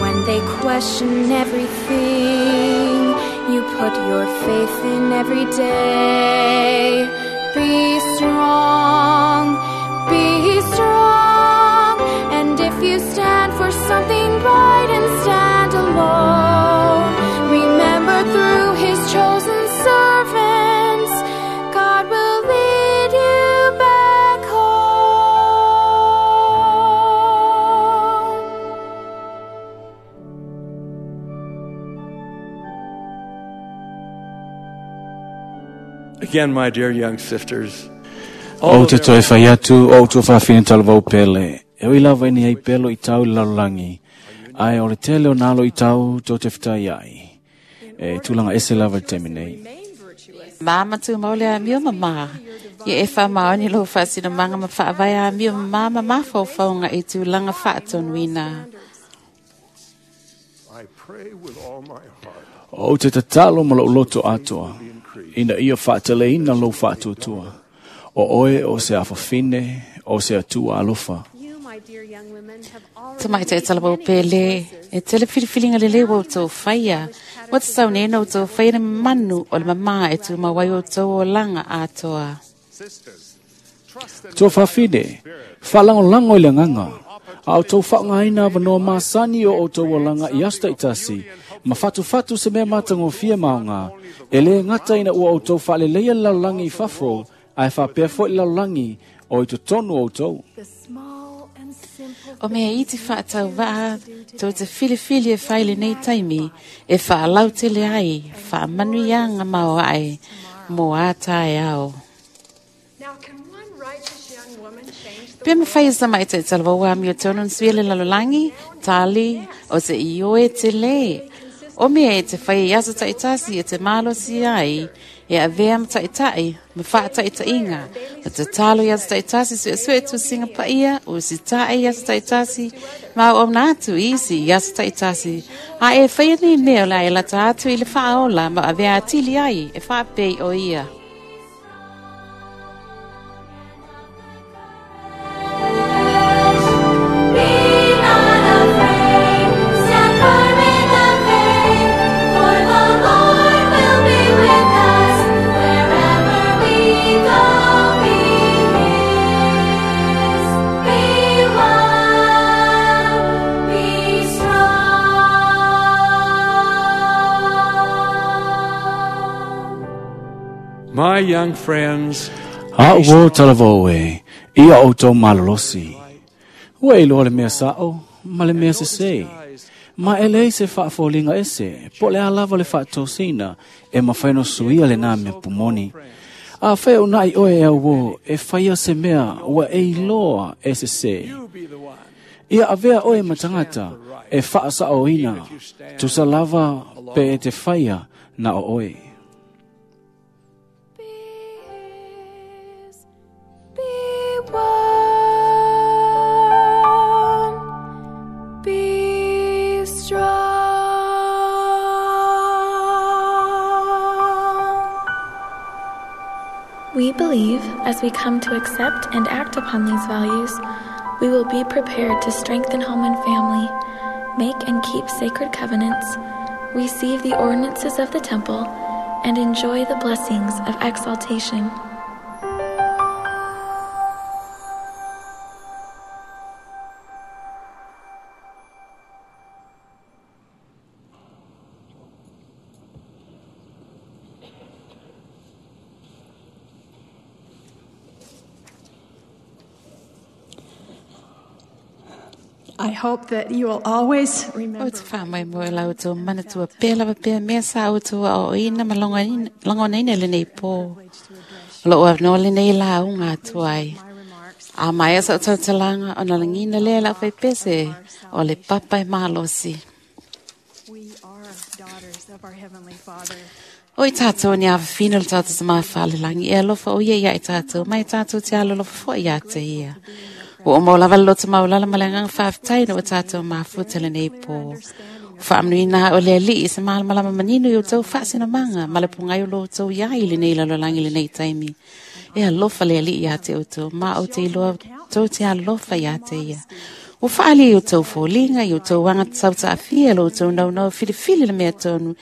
Speaker 3: When they question everything you put your faith in every day, be strong, be strong. And if you stand for something right and stand alone, remember through His chosen servants, God will lead you back home.
Speaker 6: Again, my dear young sisters,
Speaker 7: Ou te toe fai atu o outou faafine talavou pele. E ui lava ina iai pea luitau i le lalolagi. Ae o le tele o nā luitau tou te fetai ai. E tulaga ese lava i le taimi nei.
Speaker 2: Mama tumau le amio mamā. Ia e faamaoni lou faasinomaga ma faavae amio mamā ma mafaufauga i tulaga faatonuina.
Speaker 6: I pray with all my heart
Speaker 7: Ou te tatalo ma lou loto atoa, ina ia faateleina lou faatuatua. O oe o se afafine, o se Atua alofa.
Speaker 1: You, my dear young women, have already
Speaker 2: Tamaitai talavou pele, e tele filifiliga lelei ua outou faia. Ua tatau nei ona outou faia le manu o le mamā e tumau ai outou olaga atoa.
Speaker 7: Tuafafine, faalagolago i le agaga, a outou faaaogaina avanoa masani o outou olaga i aso taitasi, ma fatufatu se mea matagofie ma aoga, e lē gata ina ua outou faaleleia le lalolagi i fafo, ae faapea foi le lalolagi o i totonu o outou.
Speaker 3: The small and simple
Speaker 2: O mea iti faatauvaa, tou te filifili e fai i lenei taimi, e faalautele ai, faamanuiaga maoae, mo a taeao.
Speaker 8: Now, can one righteous young woman change the
Speaker 2: Pe mafai e se tamaitai talavou amiotonu ona suia le lalolagi, tali, o te ioe tele. O mea e te fai i aso taitasi e te malosi ai, e avea ma taitai, ma faataitaiga, ma tatalo i aso taitasi suesue tusiga paia, o usitae i aso taitasi, ma auauna atu i isi i aso taitasi. A e faia nei mea o le a e lata atu i le faaola ma avea atili ai e faapei o ia.
Speaker 3: Be not afraid, stand firm in the faith, for the Lord will be with us wherever we go. Be His, be wise.
Speaker 6: My young friends,
Speaker 7: A ua talavou e, ia o tau malolosi. Ua iloa le mea sa'o, ma le mea sesē. Ma e leai se faafoliga ese, po o le a lava le faatosina e mafai ona suia lenā mea pumoni. Afai unaʻi oe e auō e faia se mea ua e iloa e sesē. Ia avea oe ma tagata e faasaʻoina, tusa lava pe e te faia na o oe.
Speaker 3: Be his, be one, be strong.
Speaker 4: We believe as we come to accept and act upon these values, we will be prepared to strengthen home and family, make and keep sacred covenants, receive the ordinances of the temple, and enjoy the blessings of exaltation.
Speaker 8: I hope that you will always
Speaker 2: O
Speaker 8: remember
Speaker 2: te whaamai mo e lau tō manatua pē lava pēa mea sa au tō ao ina ma longonaina lenei pō. O loo avanoa lenei la unga atu ai. A mai asa o tautalanga o na langina lea lau whaipese o le papa e malosi.
Speaker 8: we are daughters of our Heavenly Father.
Speaker 2: O i tātou ni awhina le tātou sa mawhale langi e alofa o ia ia i tātou, mai tātou te alolofa fo ia te ia. Ua o maulava le loto maulala ma le nganga whaaftai na o tātou mafuta le nei pō. Whaamnui nā o le ali i sa malamalama manino i o tau whaasina manga, ma le pungai o lo tau iai le nei lalolangi le nei taimi. E alofa le ali ia te o tau, ma o te iloa tau te alofa ia te ia. O whaali i o tau fōlinga, i o tau wanga tau taafia, lo tau nau nau filifili le mea tonu,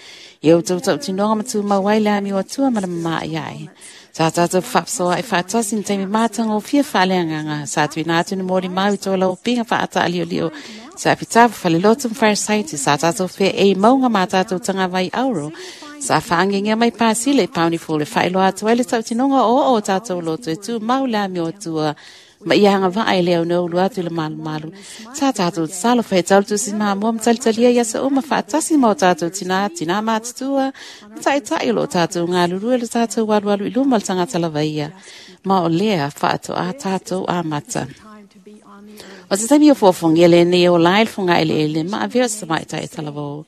Speaker 2: i o tau tau tinoga matu mauai le ami o atua ma le mamaa iai. Sa tātou whapsoa e whaatasi ni taimi mātanga o fia whaaleanganga. Sa tui nā atu ni mōri mau i tō lau pinga whaata alio lio. Sa pitapu whalelotu mwharasaiti. Sa tātou whea e maunga mā tātou tanga vai auro. Sa whaangengia mai pāsile i pauni fōle whaeloa atu ai le tau tinonga o o tātou loto e tū mau le ami o atua. Ma ia hanga vaa e leo no ulu atu le malu malu. Sa tātou salo whai tau si maa mua matalitalia ia sa uma whaatasi mau tātou tina, tina mātutua. Matai tai lo tātou ngā lurua le tātou walu walu i luma le tangata lava ia. Ma o lea whaato a tātou a mata. O te taimi o fōfongi ele nei o lai funga ele ele ma avea sa mai tai talavo.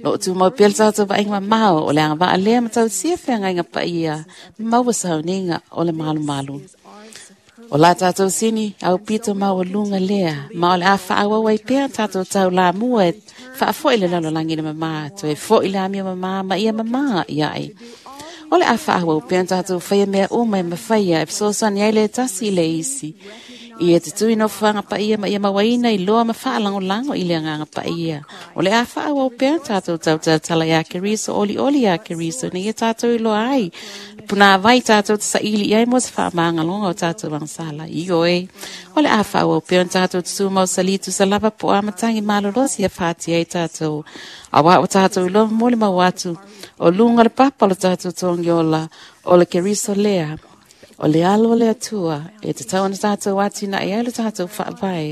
Speaker 2: Lo tu mau pele tātou vainga mamao o le anga vaa lea matau sia whenga inga pa ia. Maua sauninga o le malu malu. O la tātou sini, au pito mau lunga lea. Ma o le a whaawau ai pēa tātou tau la mua e whaafoi le lalolangi le mamā. Toe foi le amia mamā ma ia mamā ia ai. O le a whaawau pēa tātou whaia mea uma e mawhaia e psosani ai le tasi le isi. Ia te tui no whanga pa ia ma ia mawaina i loa ma whaalango lango i le nganga pa ia. O le a whaawau pēa tātou tau tala ia keriso, oli oli ia keriso, ni ia tātou i loa ai. Puna vai tātou te saili iai mo se whaamanga longa o tātou wangsala. I oe. O le a whaawau pēa tātou te tūmau salitu sa lava po amatangi malolosi a whāti ai tātou. Awa o tātou i loa mole mau atu. O lunga le papa o le tātou tongiola. O le keriso lea. O le alo le atua, e te tau ana tātou atina e ai le tātou whaavai.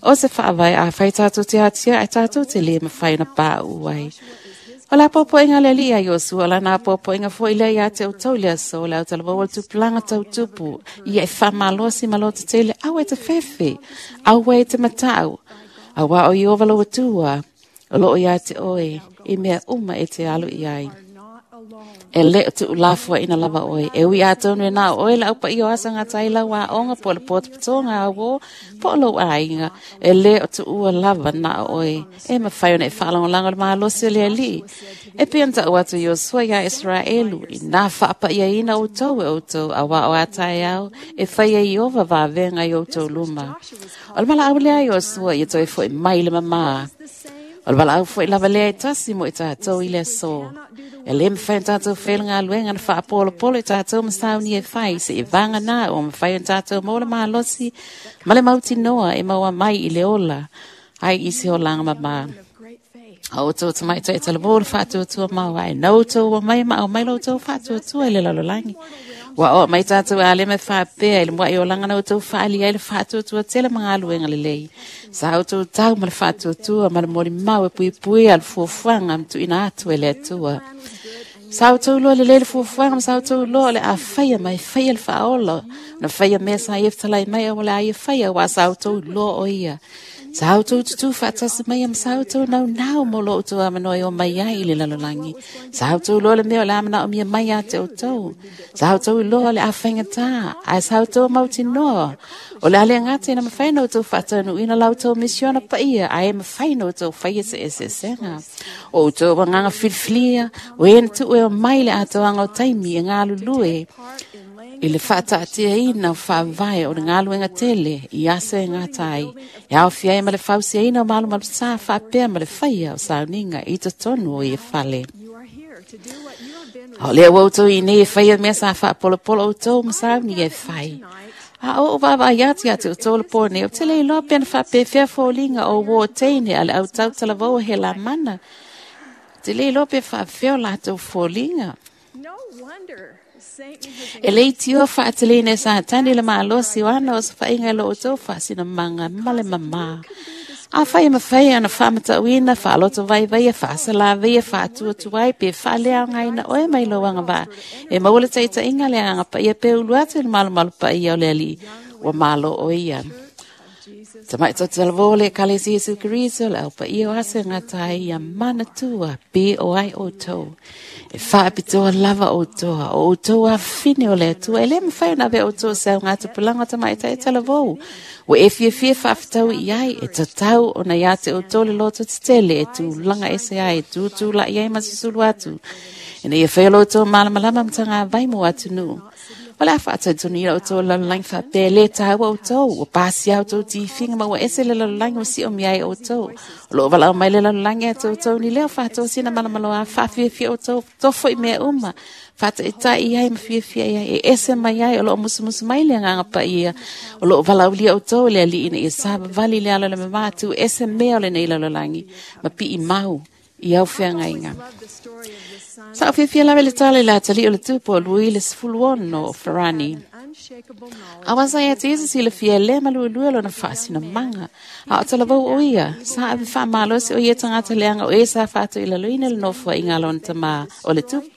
Speaker 2: O se whaavai a whai tātou te atia, e tātou te le mawhai na pā uai. O la popoinga le lia Iosua, o la nā popoinga fo i lea ia te o tau lea so, le au talava o le tupulanga tau tupu, ia e whamalosi malote tele, au e te whewhe, au e te matau, au a o i ova lo atua, o loo ia te oe, i mea uma e te alu i ai. E le o tu ulafua ina lava oe. E ui a tonu e nā oe la upa i o asa ngā tai lau a onga po le pōta patonga a wō, po lo a inga. E le o tu ua lava nā oe. E mawhai ona e whaalangolanga le maalosi o le ali. E pianta o atu Iosua ia Israelu. I nā whaapa ia ina o tau e o tau a wā o atai au. E whai e iova vāvenga i o tau luma. O le mala au lea Iosua i toi fo i mai le mamā. O le wala au fo i lava lea i tasi mo i tātou i le so. E le mwhai tātou whaelenga aluenga na whaapolo polo i tātou masauni e whai se i vanga nā o mwhai tātou maula mālosi ma le mauti noa e maua mai i le ola ai i se olanga mamā. O tō tamai tō e talabō le whaatuatua mau ai nau tō wa mai ma au mai lo tō whaatuatua i le lalolangi. Ua o mai tātou a le me whāpea i le mua i o langa na outou whaali ai le whaatuatua tele mangaluenga lelei. Sa outou tau ma le whaatuatua ma le moli mau e pui pui a le fuafuaga ma tuuina atu e le Atua. Sa outou loa lelei le fuafuaga ma sa outou loa o le a faia ma e faia le faaola. Na faia mea sa ia fetalai mai au o le a ia faia ua sa outou loa o ia. Sa outou tutu faatasi mai ma sa outou naunau mo lo outou amanoa e o mai ai i le lalolagi. Sa outou loa le mea o le a manaomia mai ia te outou. Sa outou iloa le a faigata, ae sa outou mautinoa. O le a le gata ina mafai ona outou faataunuuina la outou misiona paia, ae mafai ona outou faia se eseesega. O outou agaga filifilia, o e na tuu e o mai le atoaga o taimi e galulue i le faataatiaina o faavae o le galuega tele i aso e gata ai, e aofia ai ma le fausiaina o malumalu-sa faapea ma le faia o sauniga i totonu o ia fale. A o lea ua outou i nei e faia mea sa faapolopolo outou ma sauniga e fai. A o ou vaavaai atu ia te outou le pō nei, ou te le iloa pe na faapefea foliga o uō teine a le au tautalavou o Helamana. Ou te le iloa pe faapefea o latou foliga. E le itioa faateleina e Satani le malosi o ana osofaiga i lo outou faasinamaga ma le mamā. Afai e mafai ona faamatauina, faaloto vaivaia, faasalavaia, faatuatuai pe faaleaogaina oe mai lou agavaa, e maua le taitaiga le agaga paia pe ulu atu i le malumalu paia o le Alii, ua malo o ia. Tamai tautalavou le Ekalesia Iesu Keriso, le au paia o aso e gata ai ia manatua pe o ai outou. E faapitoa lava outou, o outou afafine o le Atua, e le mafai ona avea outou o se augatupulaga o tamaitai talavou. Ua e fiafia faafetaui i ai, e tatau ona ia te outou le loto tetele e tulaga ese ai, e tutulai ai ma susulu atu. Ina ia faia lo outou malamalama ma tagavai mo atunuu. O le a faatalitonu outou lalolagi faapea e lē taua outou, ua pasia outou tifiga ma ua ese le lalolagi ua siomia ai outou. O loo valaau mai le lalolagi ia te outou ni leo faatosina malamaloa faafiafia outou, tofo i mea uma, faataitai i ai ma fiafia i ai, e ese mai ai o loo musumusu mai le agaga paia. O loo valaaulia outou e le Alii ina ia savavali le ala o le mamā tu ese mea o lenei lalolagi ma pii mau i au feagaiga. Sa o fiafia lava i le tala i le atalii o le tupu o Lui le 16 o Farani. Aua sa ia te Iesu silafia e le maluelue lona faasinamaga. A o talavou o ia, sa ave faamalosi o ia tagata leaga o e sa faatoilaloina le nofoaiga a lona tamā o le tupu.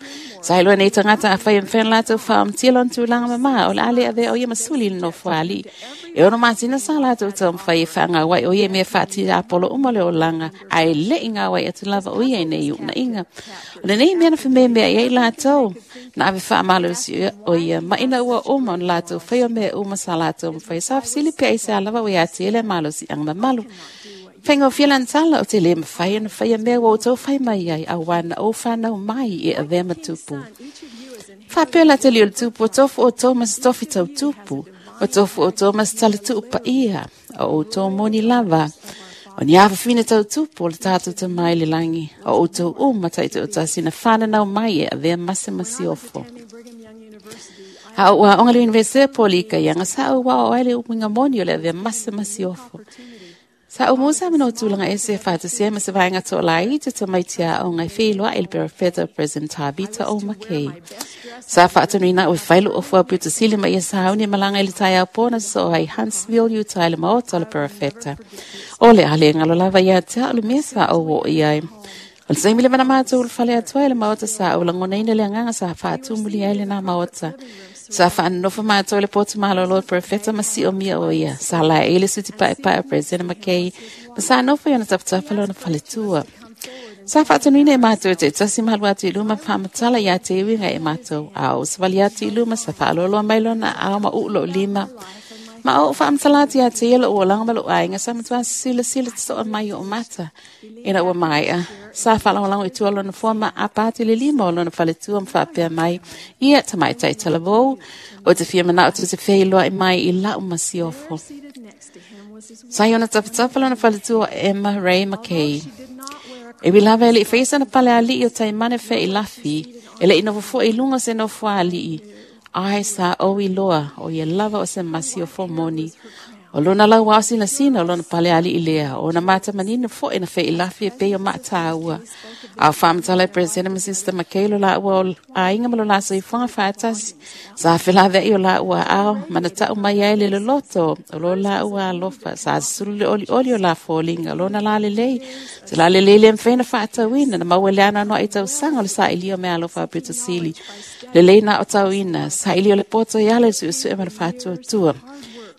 Speaker 2: Sa iloa nei tagata afai e mafai ona latou faaomatia lona tulaga mamā, o le a le avea o ia ma suli i le nofo a alii. E 6 masina sa latou taumafai e faagauai o ia i mea faatiapolo uma o le olaga, ae le i gauai atu lava o ia i nei uunaiga. O lenei mea na fememeai ai latou, na ave faamalosi o ia ma ina ua uma ona latou faia mea uma sa latou mafai. Sa fesili pe aisea lava ua ia te ia le malosiaga mamalu. Faigofie lana tala o te le mafai ona faia mea ua outou fai mai ai, auā na ou fanau mai e avea ma tupu. Faapea la te lio le tupu, o tofu outou ma se tofi tau tupu, o tofu outou ma se talatuu paia, o outou moni lava. O ni afafine tau tupu o le tātou Tama i le lagi, o outou uma taitoatasi na whananau mai e avea mase masiofo. A o aoga le Universite o Polika ianga sa au wao ai le uinga moni o le avea mase masiofo. Sa o musa mana o tulaga ese e faatasia ai ma se vaega toalaiti o tamaiti aoga e feiloai i le perofeta o President Tavita O. McKay. Sa faatonuina au e fai lou ofu au pito sili ma ia sauni e malaga i le taeao po na sosoo ai i Huntsville, Utah i le maota o le perofeta. O le a le galo lava ia te au le mea sa ou oo i ai. O le taimi leva na matou ulufale atu ai i le maota sa ou lagonaina le agaga sa faatumulia ai lenā maota. Sa faanonofo matou i le potu malolo o le perofeta ma siomia o ia. Sa laei le suti paepae o President McKay ma sa nofo i ona tapatafa lona faletua. Sa faatonuina e matou e taitasi ma alu atu i luma ma faamatala ia te uiga e matou. A ou savali atu i luma sa faaloaloa mai lona aao ma uu lou lima. Ma ou faamatala atu ia te ia lou olaga ma lou aiga sa matua silasila totoa mai i ou mata. Ina ua maea, sa faalagolago i tua o lona foa ma apa atu i le lima o lona faletua ma faapea mai, Ia, tamaitai talavou, ou te fia manao tou te feiloai mai i lau masiofo. Sa i ona tapatafa lona faletua o Emma Ray McKay. E ui lava e le i faia sana pale alii o Taimane Fea i Lafi, e le i nofo foi i luga o se nofo a alii, ae sa ou iloa o ia lava o se masiofo moni. O lona lau ao sina sina o lona pale ali i lea. O na mata manino fo e na fe ilafi e pei o maatāua. Au whaamatala e President ma Sister Makelo la ua o ainga malo la soifuaga faatasi. Sa felavea o la ua ao mana tau mai ai le loloto o lo la ua alofa. Sa sulu le oli oli o la fōlinga. Lona la lelei. Se la lelei le mwhaina whaatauina. Na maua le ana noa i tausanga o le sa ilio mea alofa pito sili. Lelei na o tauina. Sa ilio le poto i ale su su e ma le whaatua tua.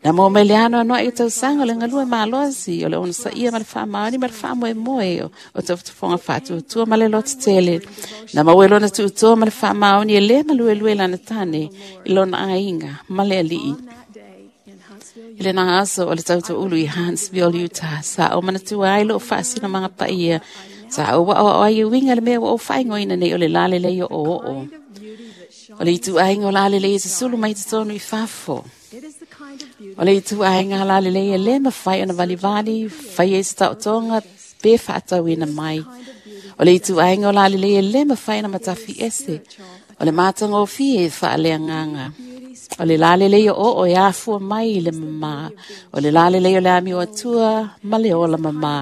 Speaker 2: Na mo mai le ano anoa i tausaga o le galue malosi o le onosaia ma le faamaoni ma le faamoemoe o taufotofoga faatuatua ma le lotetele. Na maua e lona tuutoa ma le faamaoni e lē maluelue lana tane i lona aiga ma le alii. I lena aso o le tautoulu i Huntsville, Utah, sa o manatua ai loo faasinomaga paia. Sa ou aoao ai e uiga le mea ua ou faaigoina nei o le lalelei o oo. O le ituaiga o lalelei e susulu mai totonu i fafo. O le ituaiga lalelei e lē mafai ona valivali, faia i se taotoga pe faatauina mai. O le ituaiga o lalelei e lē mafai ona matafi ese. O le matagofie e faaleagaga. O le lalelei o oo e afua mai i le mamā. O le lalelei o le amio atua ma le ola mamā.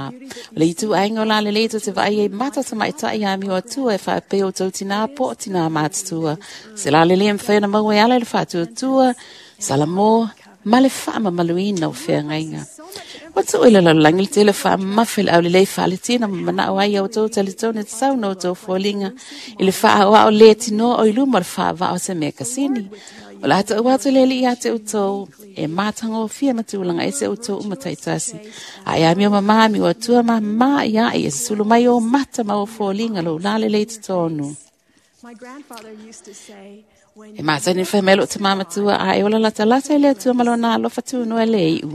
Speaker 2: O le ituaiga o lalelei tou te vaai ai mata tamaitai amio atua e faapea o tou tinā po o tinā matutua. Se lalelei e mafai ona maua e ala i le faatuatua, Salamo, ma le faamamaluina o feagaiga. Ua tuu i le lalolagi le tele faamamafe le aulelei faaletina ma manao ai au tou talitonu e tatau na outou foliga i le faaoao lē tinoa o i luma o le faavaa o se mea kasini. O le a taʻu atu le alii ia te outou e matagofie ma tulaga ese outou uma taitasi. A e amio mamā amio atua mamā ia e susulu mai o mata ma o foliga lou lalelei totonu. E masani whai mai loo te mamatua a e ola lata lata i le atua ma lona alofa tūnoa le iu.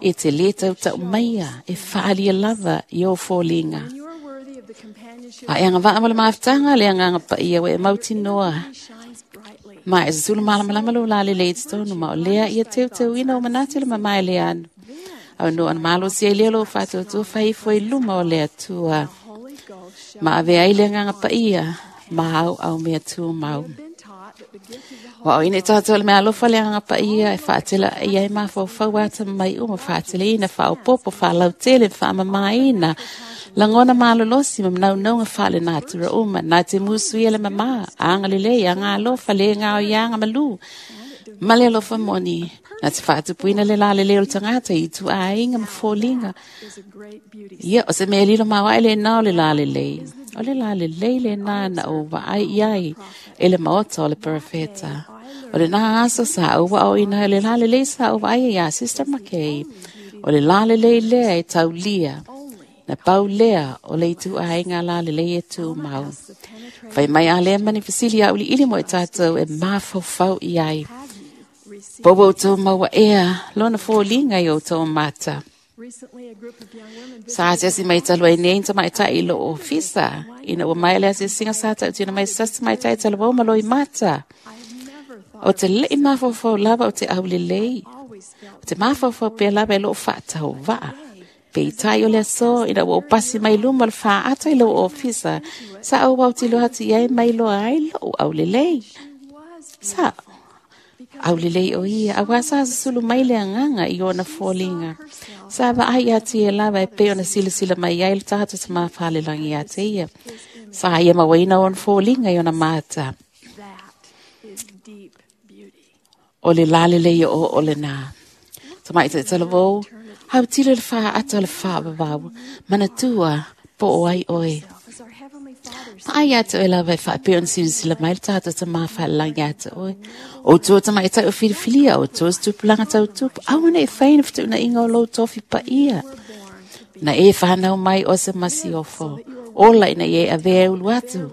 Speaker 2: E te le tau tau maia e whaalia lava i o fōlinga. A e anga waa mo le maftanga le anga pa ia we e mautinoa. Ma e susulu malamalama lo la le le tonu ma o lea ia teu teu ina o manatu le mamae le anu. Au no ana malo si e lea lo whātua whai fo i luma o le atua. Ma ave ai le anga pa ia ma au au mea tū mau. Wa o ine tātou le mea alofa le anga pa ia e whaatela ia e mawhaufau ata mai uma whaatele ina whaopopo whaalautele whaamamaina. Langona malolosi ma manaunauga faale natura uma na te musu ia le mamā anga lelei anga alofa le ngao i anga malu. Ma le alofa moni na te whaatupuina le lalelei o le tangata i tuaiga ma foliga. Ia o se mea lilo maoae le nā o le lalelei. O le lalelei le nā na o vaai iai e le maota o le parafeta. O le nā aso sa au wa o ina le lalelei sa au vaai ia Sister Makei. O le lalelei lea e taulia. Na pau lea o le ituaiga lalelei e tū mau. Whai mai a lea mani fasili a uli ili mo e tātou e mafaufau i ai. Poua o tō maua ea, lona fōlinga i o tō mata. Sa ate asi mai talu ai nei ta mai tai lo ofisa. Ina ua mai le asi singa sa tau tina mai sasa mai tai talu au malo i mata. O te lei mafaufau lava o te aulelei. O te mafaufau pea lava e loo whaatau waa. Pe i tai o le aso, ina ua pasi mai luma le whaata i lo ofisa. Sa au au tilo hati ai mai loa ai lo aulelei. Sa aulelei o ia, aua sa susulu mai le anganga i ona fōlinga. Sa vaai atu e lava e pe ona silasila mai ai le tātou te mawhalelangi ia te ia. Sa ia mawaina ona fōlinga i ona mata. O le lalelei o o le nā. Tamai te talavou, hau tilo le whaata o le whaavavau, manatua po o ai oe. Ai atu e lava e whaapeo na silasila mai le tātou te mawhalangi atu oe. O tua tamai e tau whiriwhiria, o tua stupulanga tau tupu, awana e whaina whituna inga o lou tofi pa ia. Na e whanau mai o se masiofo. Ola ina e avea e ulu atu.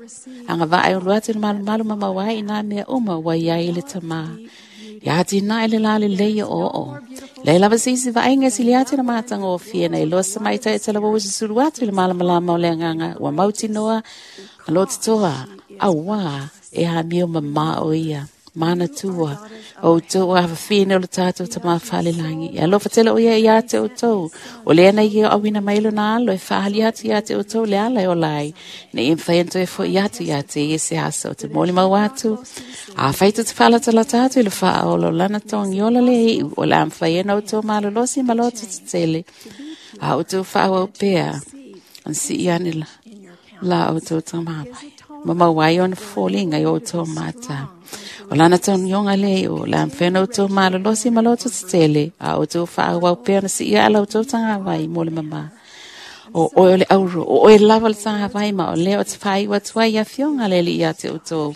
Speaker 2: Anga vaa e ulu atu na malu malu mamawai i nā mea uma wai ai le tamā. Ia ati nā ele lale leia o o. Lei lava sisi vaenga sili ati na mātanga o fia nei loa sa mai tai tala wawa susulu atu i le malamalama o le anganga ua mautinoa ma lo titoa auā e hamio mamā o ia. Manatua o outou afafine o le tatou Tamā falelagi. E alofa tele o ia iā te outou. O lea na ia auina mai lona alo e faaali atu iā te outou le ala e ola ai. Ina ia mafai ona toe fo'i atu iā te ia se aso o te molimau atu. Afai tou te faalatalata atu i le faaola o lana togiola le iu, o le a mafai ai ona outou malolosi ma loto tetele. A outou faaauau pea, ona sii ane la outou tamāvai. Ma maua ai ona foliga i o outou mata. O lana togioga le iu, o le a mafai ona outou malolosi ma loto tetele, a outou faaauau pea ona sii aa la outou tagavai mo le mamā. O oe o le auro, o oe lava le tagavai ma o lea o te faaiu atu ai i afioga a le Alii ia te outou.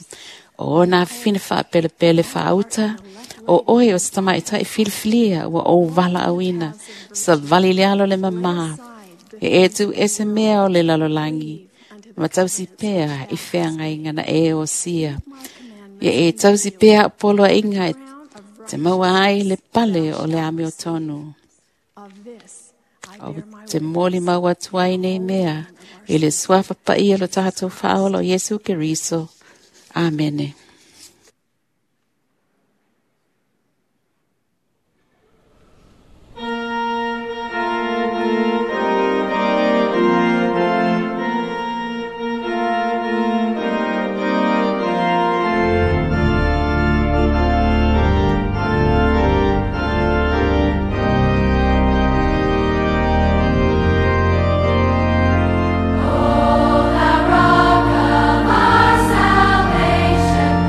Speaker 2: O ona afafine faapelepele faauta, o oe o se tamaitai filifilia ua ou valaauina, savali le alo le mamā, e e tu ese mea o le lalolagi, ma tausi pea i feagaiga na e osia. Ia e tausi pea o poloaiga e te maua ai le pale o le amiotonu. O te molimau atu ai nei mea i le suafa paia o lo tatou faaola o Iesu Keriso. Amene.
Speaker 3: Rock of our salvation.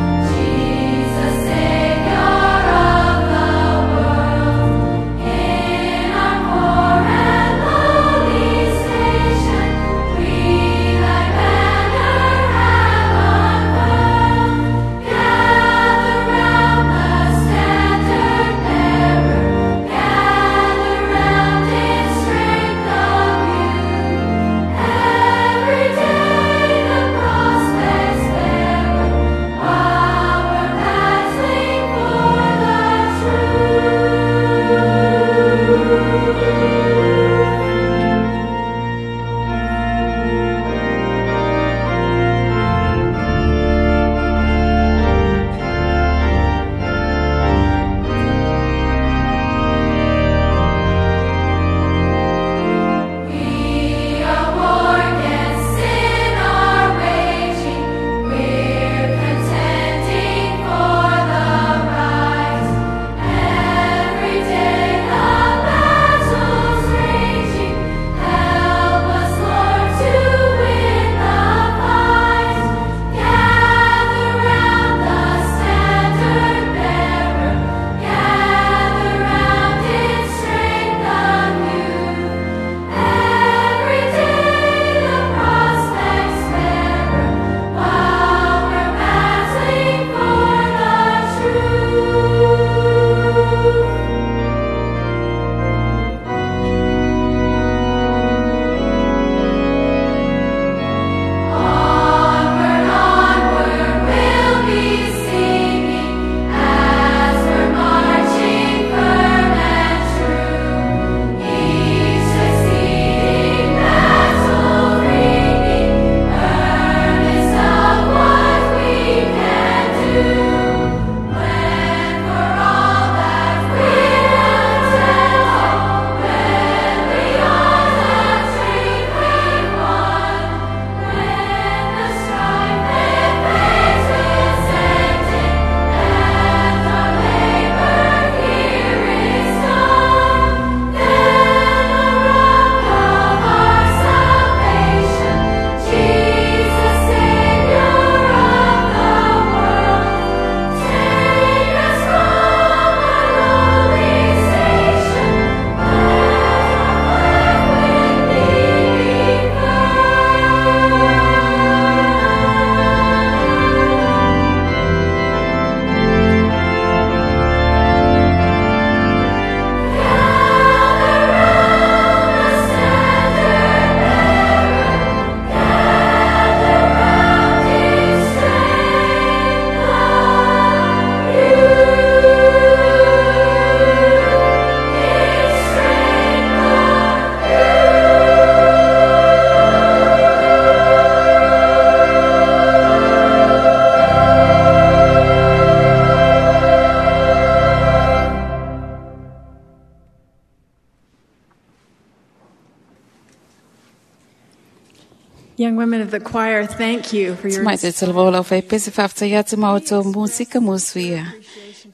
Speaker 8: Young women of the choir, thank you for your
Speaker 2: Mai te talavou lau fai pese whaftai atu ma o tō musika musuia.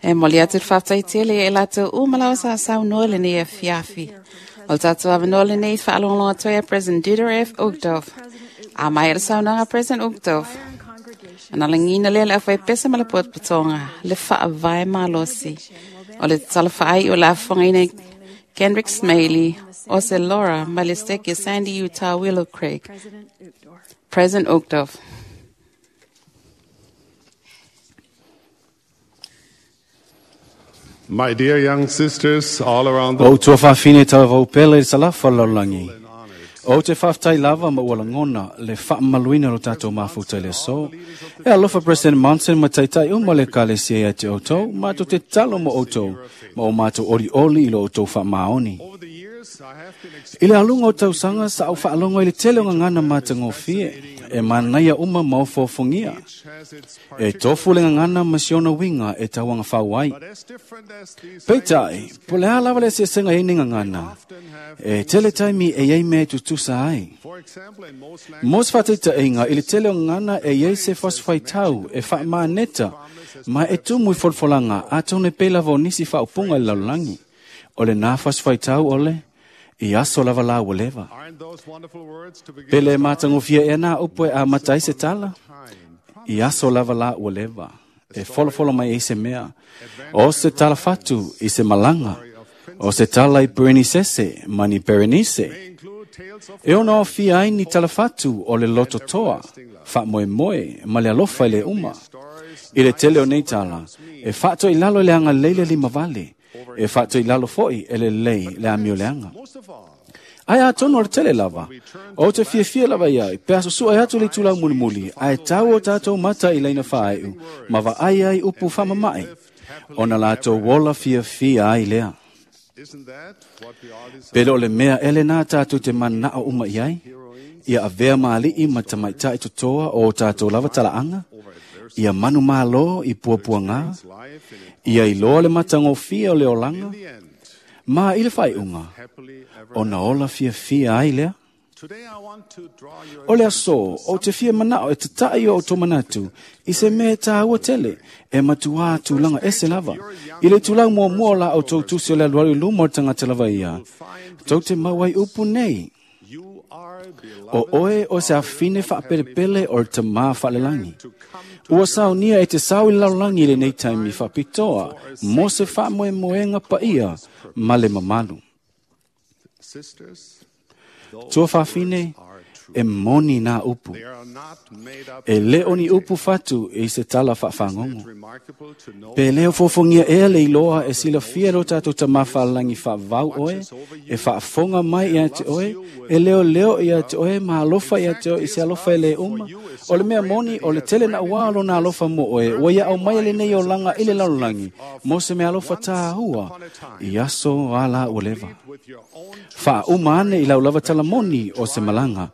Speaker 2: E moli atu te whaftai tele e lato umalau sa sau noa le nei e fiafi. O tātou awanoa le nei whaalongalonga toi a President Dieter F. Uchtdorf. A mai ele saunoaga President Uchtdorf. Ana langina lea le au pesa ma le potopotoga le faavae malosi. O le tatala faai o le afofogaina Kendrick Smailey, o se Laura ma le steke Sandy Utah Willow Craig. President Uchtdorf.
Speaker 9: My dear young sisters all around the
Speaker 7: O tua whawhine tau vau pele i salafa laulangi. O te whaftai lava ma ua langona le whaamaluina lo tātou mafuta le so. E alofa President Monson ma taitai uma le kale sia ia te outou, mātou te talo mo outou, ma o mātou ori oli i lo outou whaamaoni. I le alunga o tausanga sa au whaalongo i le tele o ngangana mātangofie, e manaia uma ma o fōfongia. E tofu le ngangana ma siona winga e tauanga whauai. Peitai, po le alawa le sesenga e ngangana. E tele taimi e iei me tutusa ai. Mos whateita inga i le tele o ngangana e iei se fosfai tau e whaamaaneta ma e tumu i folfolanga a tone pela vo nisi whaupunga i lalulangi. O le nā fosfai tau ole, i aso lava la ua leva. Pele mātangofia e nā upo e a matai se tala. I aso lava la ua leva. E folofolo mai e se mea. O se tala fatu i se malanga. O se tala i Berenice mani Berenice. E ona o fia ai ni tala fatu o le loto toa. Wha moe moe ma le alofa i le uma. I le tele o nei tala. E whaato i lalo i le anga leile lima vale. E whaato i lalo foi e le lei le amio leanga. Ai a tono le tele lava. O te fiafia lava iai. Pe aso sua e atu le tulau mulimuli. Ai tau o tātou mata i leina whaaiu. Ma va ai ai upu whamamai. Ona lātou wola fiafia ai lea. Pele o le mea ele nā tātou te manao uma iai. Ia avea maali'i ma tamaitai totoa o tātou lava talaanga. Ia manu malo i puapuanga. Ia iloa le matangofia o le olanga. Ma i le whaiunga. O na ola fiafia ai lea. O le aso, o te fia manao e te tai o tō manatu, i se mea tāua tele, e matua tūlanga ese lava. I le tūlau mua mua la o tō tusi o le alualu luma o tangata lava ia. Tau te mauai upu nei. O oe o se awhine whaapelepele o te mā whaalelangi. Ua saunia e te sau i lalulangi i le nei taimi whapitoa, mo se whaamoe moenga paia, ma le mamalu. Tua whawhine, e moni nā upu. E leo ni upu fatu e se tala whawhangongo. Pe leo fofongia ea le iloa e sila fia lo tātou tamawhalangi whawau oe, e whaafonga mai ia te oe, e leo leo ia te oe, ma alofa ia te oe, i se alofa e le uma. O le mea moni, o le tele na ua alo nā alofa mo oe, ua ia au mai le nei o langa i le lalolagi, mo se mea alofa tāhua, i aso ala ua leva. Wha uma ane i lau lava tala moni o se malanga,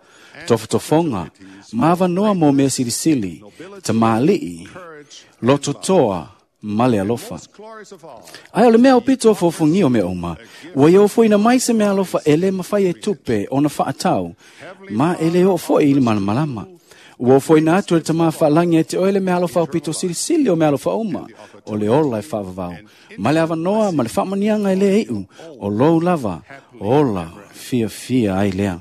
Speaker 7: tofotofonga, maava noa mo mea silisili, ta maali'i, lototoa, ma le alofa. Ai o le mea o pito o fofongi o mea uma, ua ia ofoina mai se mea alofa e le mawhai e tupe o na whaatau, ma e le o foi i le malamalama. Ua ofoina atu e le tamā whaalangi e te oe le mea alofa o pito silisili o mea alofa uma, o le ola e whaavavau. Ma le avanoa, ma le whaamanianga e le eiu, o lou lava, ola, fia fia ai lea.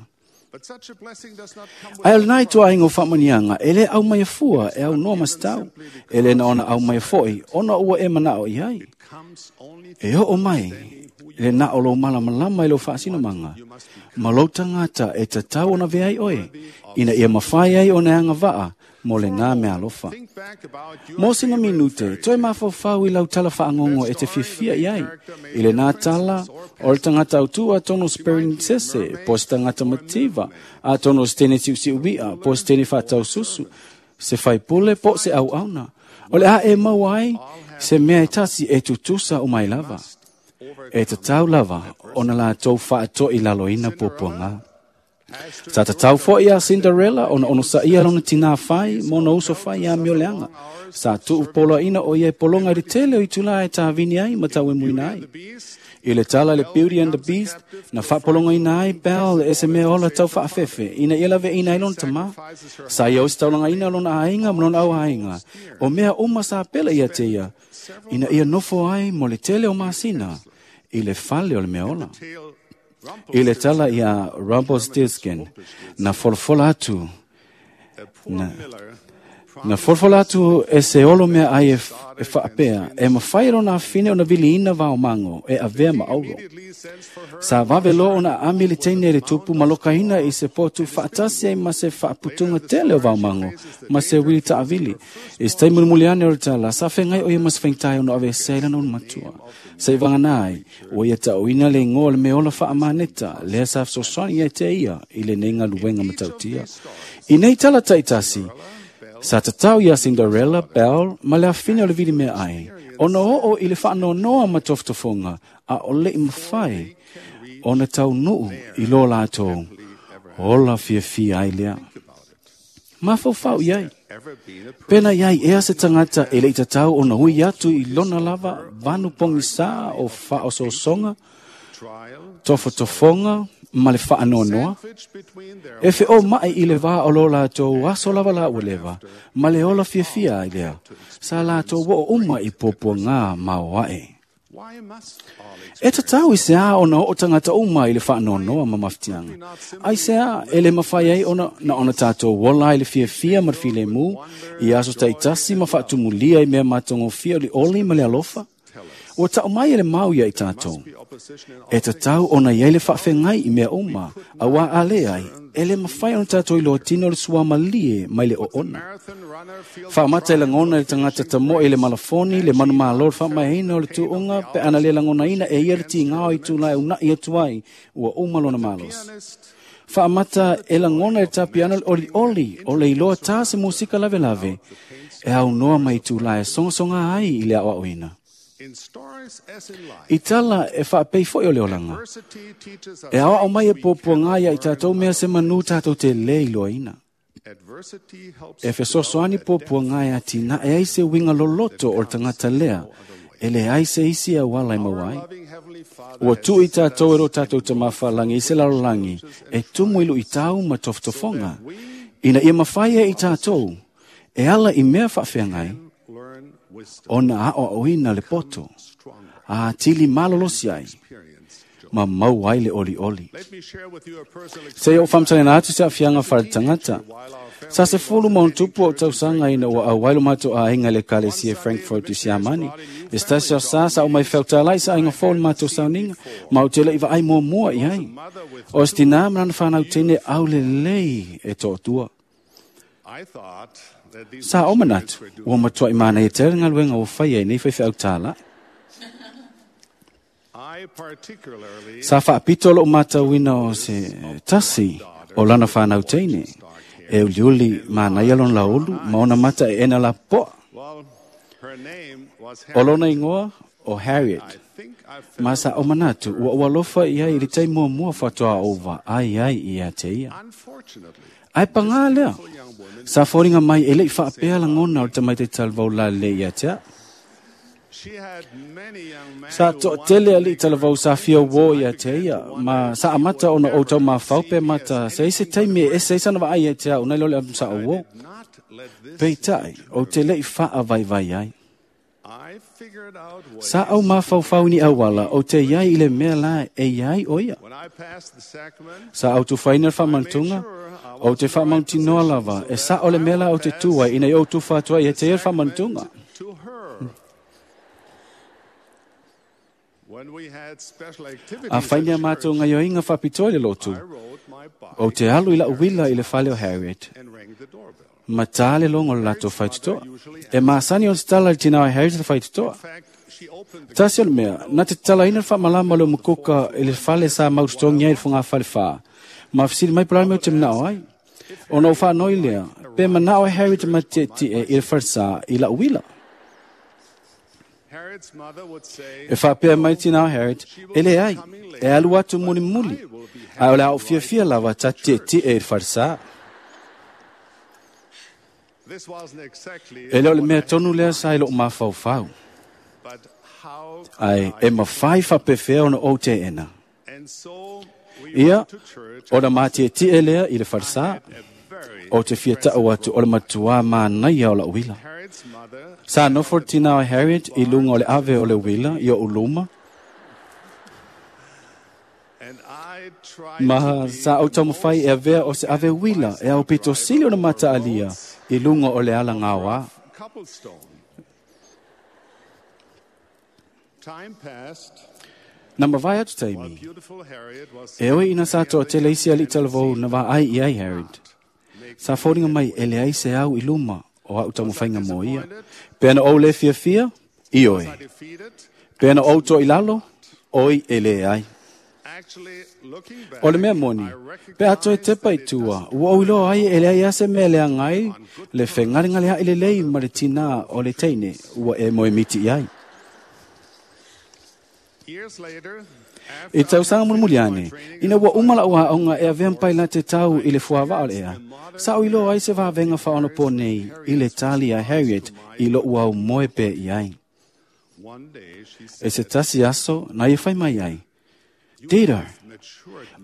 Speaker 7: Ai o le nai tua ingo whaamanianga, e le au mai fua, e au noa mastau, e le na ona au mai foi, ona ua e manao i ai. E o mai, le na o lo malamalama i lo whaasinamanga, ma lo tangata e tatau ona veai oe, ina ia mawhai ai o neanga waa, mo le nā mea alofa. Mo sina minute, toe mawhawhau i lau tala whaangongo e te fiafia i ai. I le nā tala, o le tangata autua tono sperinsese, po se tangata mativa, a tono se tene tiusiuia, po se tene whatau susu, se whaipule, po se au auna. O le a e mau ai, se mea e tasi e tutusa o mai lava. E tatau lava, ona la tau whaato i lalo ina puapuanga. Sa tatau fo'i a Cinderella ona ono sa ia lona tinā fai ma ona uso fai ia mioleanga. Sa tuu poloaina o ia e pologa i le tele o itulā e tāvini ai ma tauemuina ai. I le tala le Beauty and the Beast, na faapologaina ai Belle e se mea ola tau faafefe, ina ia laveaina ai lona tamā. Sa ia ositaulagaina lona aiga ma lona auaiga, o mea uma sa pele ia te ia, ina ia nofo ai mo le tele o masina i le fale o le mea ola. I le tala ia Rumpelstiltskin, na folafola atu, na folafola atu e se olo mea ai e faapea, e mafai e lona afine ona viliina vaomago e avea ma auro. Sa vave loa ona aami le teine i le tupu ma lokaina i se potu faatasi ai ma se faaputuga tele o vaomago ma se uili taavili. I se taimi mulimuli ane o le tala, sa feagai o ia ma se faigata ona aveesea ai lana ulumatua. Sa i vagana ai, ua ia taoina le igoa o le mea ola faamaneta, lea sa fesoasoani ia te ia i lenei galuega matautia. I nei tala taitasi, sa tatau ia Cinderella, Belle, ma le afine o le vili mea ai, ona oo i le faanoanoa ma tofotofoga, a o le'i mafai ona taunuu i lo latou ola fiafia ai lea. Mafaufau i ai. Pena i ai ea se tagata e le'i tatau ona ui atu i lona lava vanu pogisā o faaosoosoga, tofotofoga ma le faanoanoa, e feoma'i i le vā o lo latou aso lava la ua leva, ma le ola fiafia ai lea, sa latou oo uma i puapuagā maoaʻe. E tatau i se ā ona oo tagata uma i le faanoanoa ma mafatiaga, ai se ā e le mafai ai ona na ona tatou ola ai le fiafia ma le filemu i aso taitasi ma faatumulia i mea matagofie o le oli ma le alofa? Ua tau mai e le mau ia i tatou. E tatau ona i ai le faafeagai i mea uma, auā a le ai, e le mafai ona tatou iloa tino le suamalie mai le oona. Faamata e lagona e le tagata tamoe i le malafoni, le manumalo le faamaeaina o le tuuga, pe ana le lagonaina e ia le tigao i tulae una'i atu ai, ua uma lona malosi. Faamata e lagona e le tapiano le olioli o le iloa tā se musika lavelave, e aunoa mai tulae sogasoga ai i le aoaoina. I tala e faapei fo'i o le olaga, e aoao mai e puapuaga ia i tatou mea se manū tatou te lē iloaina. E fesoasoani puapuaga e atinae ai se uiga loloto o le tagata lea, e leai se isi auala e maua ai. Ua tuu i tatou e lo tatou Tamā Faalagi i se lalolagi e tumu i luitau ma tofotofoga, ina ia mafai e i tatou e ala i mea faafeagai, ona aoaoina le poto, a tili malolosi ai, ma maua ai le olioli. Se i ou faamatalaina atu se aafiaga faaletagata. Sa 10+ ou tausaga ina ua auai lo matou aiga i le ekalesia Frankfurt i Siamani. I se tasi o sa, sa ou mai feutala'i sa aiga fou i le matou sauniga, ma ou te le'i vaai muamua i ai. O se tinā ma lana fanau teine aulelei e toatua. Sa ou manatu, ua matua'i manaia tele le galuega ua faia i nei faifeau tāla'i. Sa faapito lo'u matauina o se tasi o lana fanau teine, e uliuli manaia lona laulu ma ona mata e ena lapopoa. O lona igoa o Harriet, ma sa ou manatu ua ou alofa i ai i le taimi muamua faatoa ou vaai ai ia te ia. Ae pagā lea, sa foliga mai e le'i faapea lagona o le tamaiti talavou lalelei ia te a'u. Sa toatele ali'i talavou sa fia uō ia te ia, ma sa amata ona ou taumafau pe mata se i se taimi e ese ai sana vaai ia te a'u nai lo le alu sa ou uō. Peitai, ou te le'i faavaivai ai. Sa ou mafaufau i ni auala ou te i ai i le mea la e i ai o ia. Sa ou tufaina le faamanatuga, ou te faamautinoa lava e sa'o le mea la ou te tū ai ina ia ou tufa atu ai ia te ia le faamanatuga. A fai ni a matou gaioiga faapitoa i le lotu, ou te alu i la'u uila i le fale o Harriet, ma tā le logo o le latou faitotoa. E masani ona tatala i le tinā o Harriet le faitotoa. Tasi o le mea, na te tatalaina le faamalama o le umukuka i le fale sa mautotogi ai i le fogafale fā, ma fesili mai po o le a le mea ou te manao ai. Ona ou faanoi lea, pe manao e Harriet ma tietie i le falesā i la'u uila. E faapea mai tinā o Harriet, e leai, e alu atu mulimuli, Ae o le a ou fiafia lava ta tietie i le falesā. E le o le mea tonu lea sa i lou mafaufau. Ae e mafai faapefea ona ou teena. Ia, ona matietie lea i le falesā, o te fia ta'u atu o le matuā manaia o la'u uila. Sa nofo le tinā o Harriet i luga o le ave o le uila i o'u luma, ma sa ou taumafai e avea o se ave uila e aupito sili ona mata'alia i luga o le ala gaoā. Na mavae atu taimi, e oi ina sa to'atele isi ali'i talavou na vaai i ai Harriet. Sa foliga mai e leai se au i luma o a'u taumafaiga mo ia. Pe ana ou lē fiafia, ioe. Pe ana ou to'ilalo, oi e lē ai. O le mea moni, pe a toe tepa i tua, ua ou iloa ai e leai a se mea leaga ai le fegalegalea'i lelei ma le tinā o le teine ua e moemiti i ai. I tausaga mulimuli ane, ina ua uma la'u aoga e avea ma pailate tau i le fuava'a o le ea, sa ou iloa ai se vavega faaonapo nei i le tali a Harriet i lo'u aumoe pea i ai. E se tasi aso na ia fai mai ai, Dito,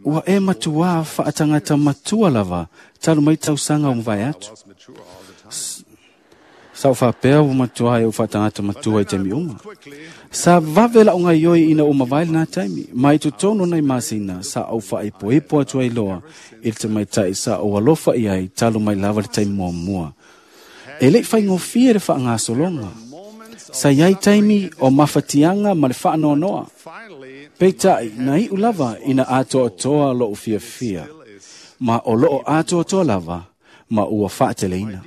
Speaker 7: ua e matuā fa'atagata matua lava talu mai tausaga o mavae atu. Sa ou faapea ua matuā e ou fa'atagata matua i taimi uma. Sa vave la'u gaioi ina ua mavae lenā taimi, ma i totonu o nai masina sa ou fa'aipoipo atu ai loa i le tamaita'i sa ou alofa i ai talu mai lava le taimi muamua. E le'i faigofie le fa'agasologa. Sa iai taimi o mafatiaga ma le fa'anoanoa. Peita'i na i'u lava ina atoatoa lo'u fiafia, ma o lo'o atoatoa lava ma ua fa'ateleina.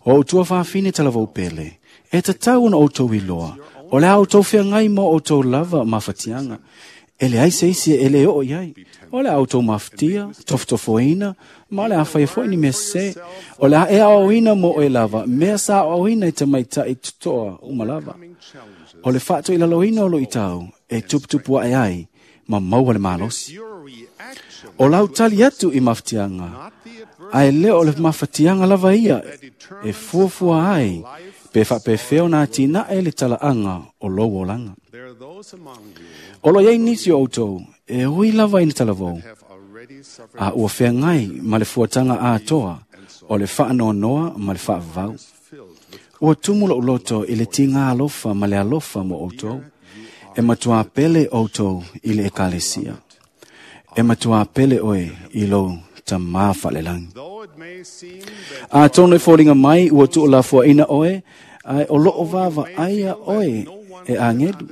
Speaker 7: O outou fafine talavou pele, e tatau ona outou iloa, o le a outou feagai mo outou lava mafatiaga. E leai se isi e lē oo i ai. O le a outou mafatia, tofotofoina, ma o le a faia fo'i ni mea sesē. O le a e aoaoina mo oe lava, mea sa aoaoina i tamaita'i totoa uma lava. O le fa'ato'ilaloina o lu'itau e tuputupu a'e ai ma maua le malosi. O lau tali atu i mafatiaga, ae le o le mafatiaga lava ia e fuafua ai pe fa'apefea ona atina'e le tala'aga o lou olaga. O lo iai nisi o outou e ui lava ina talavou, a ua feagai ma le fuataga atoa o le fa'anoanoa ma le fa'avavau. Ua tumu lo'u loto i le tigā alofa ma le alofa mo outou. E matuā pele outou i le ekalesia. E matuā pele oe i lou tamā fa'alelagi. Atonu e foliga mai ua tu'ulafoa'ina oe, ae o lo'o vava'aia oe e agelu.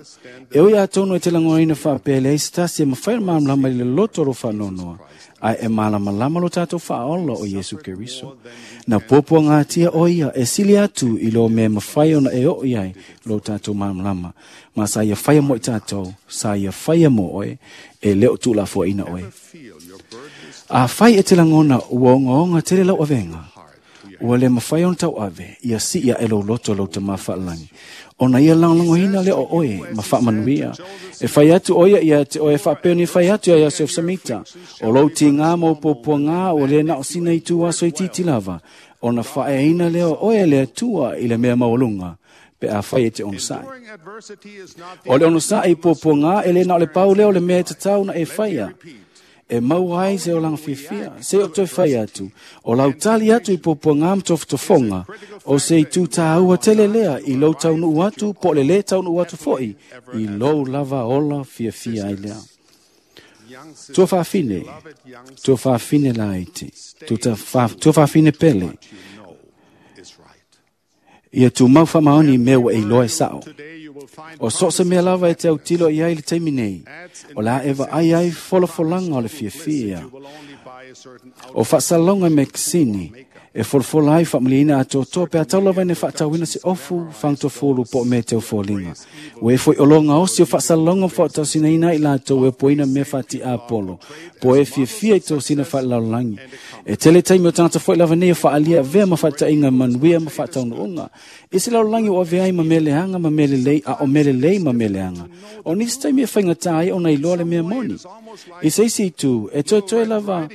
Speaker 7: E ui atonu e te lagonaina fa'apea leai se tasi e mafai ona malamalama i le loto o lou fa'anoanoa, ae e malamalama lo tatou fa'aola o Iesu Keriso. Na puapuagatia o ia e sili atu i lo mea mafai ona e oo i ai lo tatou malamalama. Ma sa ia faia mo i tatou, sa ia faia mo oe, e le o tu'ulafoa'ina oe. A fai e te lagona ua ogaoga tele lau avega, ua le mafai ona tauave, ia si'i a'e lou loto lou tamā fa'alagi. Ona ia lagolagoina lea o oe ma fa'amanuia. E fai atu o ia ia te oe fa'apea ni fai atu ia Iosefo Samita. O lou tigā ma ou puapuagā ua lē na o sina itu aso itiiti lava, ona fa'aeaina lea o oe e le Atua i le mea maualuga, pe a fai e te onosa'i. O le onosa'i i puapuagā e lē na o le pau lea o le mea e tatau na e faia, e maua ai se olaga fiafia, se o toe fai atu, o lau tali atu i puapuagā ma tofotofoga, o se itu tāua tele lea i lou taunu'u atu po o le lē taunu'u atu fo'i i lou lava ola fiafia ai lea. Tua fafine, tua fafine laiti, tua fafine pele, ia tumau fa'amaoni i mea ua e iloa e sa'o. O so o se mea lava e te autilo i ai i le taimi nei, o le a e va'ai ai folafolaga o le fiafia. O faasalalauga mekesini e folafola ai faamalieina atoatoa pe a tau lava ina faatauina se ofu fagutofulu po o mea teufoliga. Ua e foi oloa gaosi o faasalalauga ma faaotausinaina ai i latou e opoina mea faati'a polo po o e fiafia i tosina faalelalolagi. E tele taimi o tagata foi lava nei e faaalia avea ma faataʻiga manuia ma faataunuuga i se lalolagi ua avea ai ma mea leaga ma mea lelei a o mea lelei ma mea leaga. O nisi taimi e faigatā ai ona iloa le mea moni. I se isi itu, e toetoe lava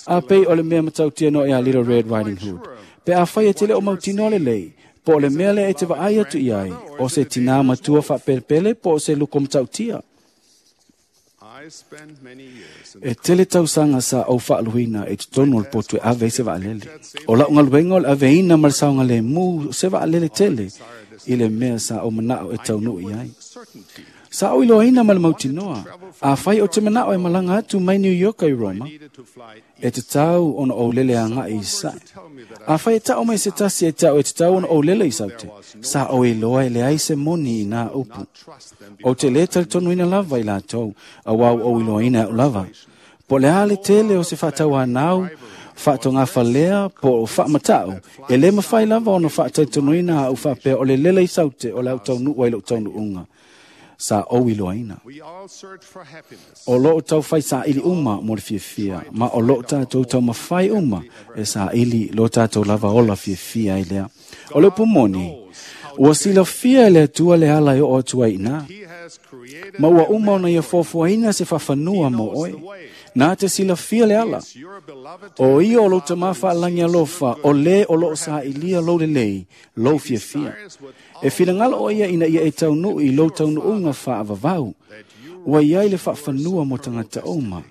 Speaker 7: a pei o le mea matautia noa iā Little Red Riding Hood. Pe afai e te le o mautinoa lelei, po o le mea lea e te vaai atu i ai, o se tinā matua faapelepele po o se luko matautia. E tele tausaga sa ou faaluina i totonu o le potu e ave ai se vaalele. O lau galuega o le aveina ma le saogalemu o se vaalele tele i le mea sa ou manao e taunuu i ai. Sa ou iloaina ma le mautinoa, afai ou te manao e malaga atu mai New York i Roma, e tatau ona ou lele agai i Sasae. Afai e tau mai se tasi e te au e tatau ona ou lele i Saute, sa ou iloa e leai se moni i nā upu. Ou te lē talitonuina lava i latou, auā ua ou iloaina e au lava. Po o le a le tele o se faatauanau, faatogafalea po o faamatau, e lē mafai lava ona faatalitonuina aʻu faapea o le lele i Saute o le a ou taunuu ai i lou taunuuga. Sa ou iloaina. O loo taufai saili uma mo le fiafia, ma o loo tatou taumafai uma e saili lo tatou lava ola fiafia ai lea. O le upu moni, ua silafia e le Atua le ala e oo atu ai i ina, ma ua uma ona ia fuafuaina se faafanua mo oe. Na te silafia le ala. O ia o lou Tamā faalagi alofa, o lē o loo sailia lou lelei, lou fiafia. E finagalo o ia ina ia e taunuu i lou taunuuga faavavau. Ua i ai le faafanua mo tagata uma.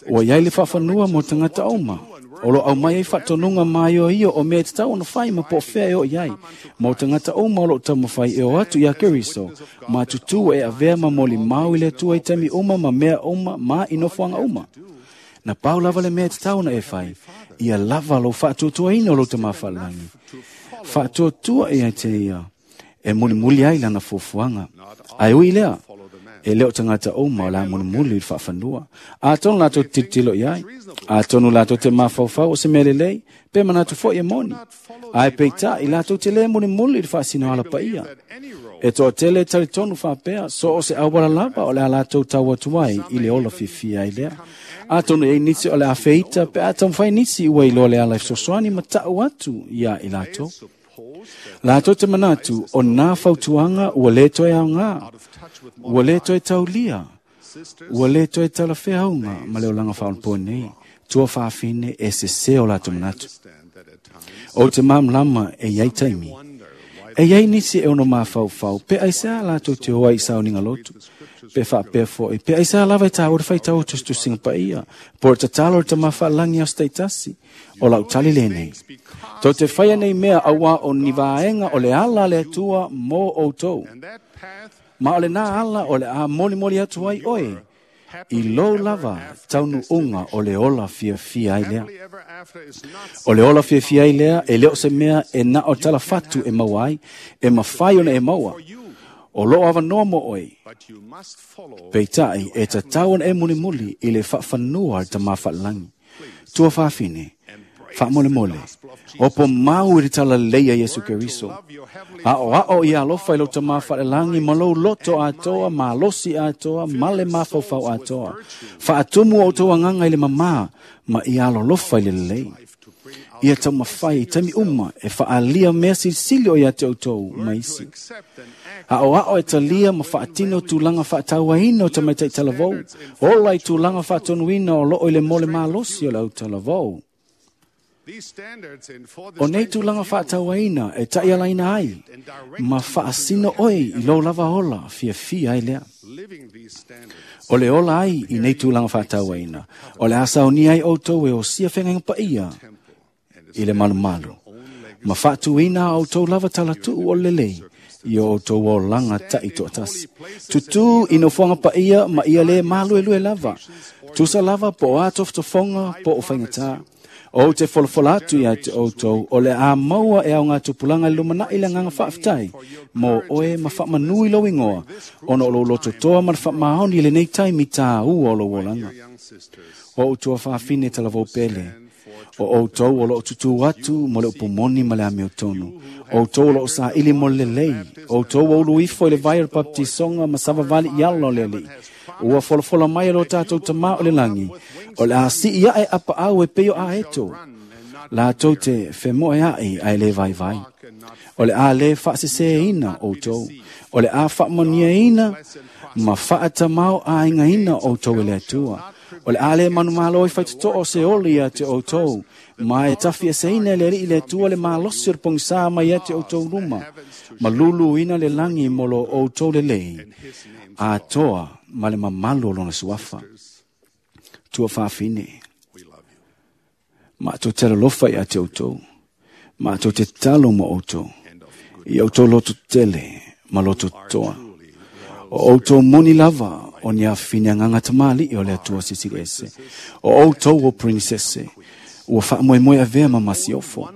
Speaker 7: Ua i ai le faafanua mo tagata uma. O lo aumai ai faatonuga maioio o mea e tatau ona fai ma po o fea e oo i ai. Mo tagata uma o loo taumafai e o atu iā Keriso, ma tutū e avea ma molimau i le Atua i taimi uma ma mea uma ma i nofoaga uma. Na pau lava le mea e tatau ona e fai, ia lava lou faatuatuaina o lou Tamā faalelagi. Faatuatua ia te ia e mulimuli ai lana fuafuaga. Ae ui i lea, e le o tagata uma o le a mulimuli i le faafanua. Atonu latou te tilotilo i ai. Atonu latou te mafaufau o se mea lelei, pe manatu foi e moni. Ae peitai, latou te lē mulimuli i le faasinoala paia. E toatele e talitonu faapea, so o se auala lava o le a latou tau atu ai i le ola fiafia ai lea. Atonu e i ai nisi o le a feita pe a taumafai nisi ua iloa le ala e fesoasoani ma tau atu iā i latou. Latou te manatu o nā fautuaga ua lē toe aogā, ua lē toe taulia, ua lē toe talafeauga ma le olaga faaonaponei, tua faafine e sesē o latou manatu. Ou te malamalama e i ai taimi. E i ai nisi e ono mafaufau pe aisea latou te o ai i sauniga lotu, pe faapea foi, pe aisea lava e tāua le faitau o tusitusiga paia, po o le tatalo i le Tama faalelagi i aso taitasi. O lau tali lenei. Tou te faia nei mea auā o ni vaega o le ala a le Atua mō outou. Ma o lenā ala o le a molimoli atu ai oe i lou lava taunuuga o le ola fiafia ai lea. O le ola fiafia ai lea e le o se mea e na o talafatu e maua ai, e mafai ona e maua. O loo avanoa mo oe. Peitai, e tatau ona e mulimuli i le faafanua a le Tamā faalelagi. Tua faafine, faamolemole, opo mau i le talalelei a Iesu Keriso. Aʻoaʻo ia alofa i lou Tamā faalelagi ma lou loto atoa, malosi atoa, ma le mafaufau atoa. Faatumu o outou agaga i le mamā ma ia alolofa i le lelei. Ia taumafai i taimi uma e faaalia mea silisili o ia te outou ma isi. Aʻoaʻo e talia ma faatino tulaga faatauaina o tamaitai talavou, ola i tulaga faatonuina o loo i le mole malosi o le au talavou. O nei tulaga faatauaina e taialaina ai ma faasino oe i lou lava ola fiafia ai lea. O le ola ai i nei tulaga faatauaina, o le a saunia ai outou e osia feagaiga paia i le malumalu, ma faatuina a outou lava talatuu o le lelei i o outou olaga taitoatasi. Tutū i nofoaga paia ma ia lē maluelue lava, tusa lava po o a tofotofoga po o faigatā. O te folafola atu ia te outou, o le a maua e au ngā tupulanga i lumanai le nganga whaaftai, mō oe ma whaamanui lo ingoa, ona o lo loto toa ma le whaamaoni le nei taimi tā ua o lo olanga. O utua whaafine talavou pele, o outou o loo tutu atu mo le upumoni ma le amio tonu. O outou o loo sa ili mo le lelei. O outou o ulu ifo i le vai o le baptisonga ma savavali i ala o le alii. Ua folafola mai e lo tātou tamā o le langi. O le a sii ae apa au e peo a eto. La tou te whemoe ai ai le vai vai. O le a le whaasese ina outou. O le a whaamania ina ma whaatamau a inga ina outou e le atua. O le a le manumalo i whaitoto o se oli ia te outou. Ma e tafi e seina le ri le atua le malosi o le pongisa mai ia te outou luma. Ma lulu ina le langi mo lo outou le lei. A toa ma le mamalu o lona suafa. Tua whaafine. Ma tō te alofa ia te outou. Ma tō te talo mo outou. I outou loto tele ma loto toa. O outou moni lava o ni awhine nganga tamali o le atua sisiri ese. O outou o princesse. Ua whaamoemoe a vea ma masiofo.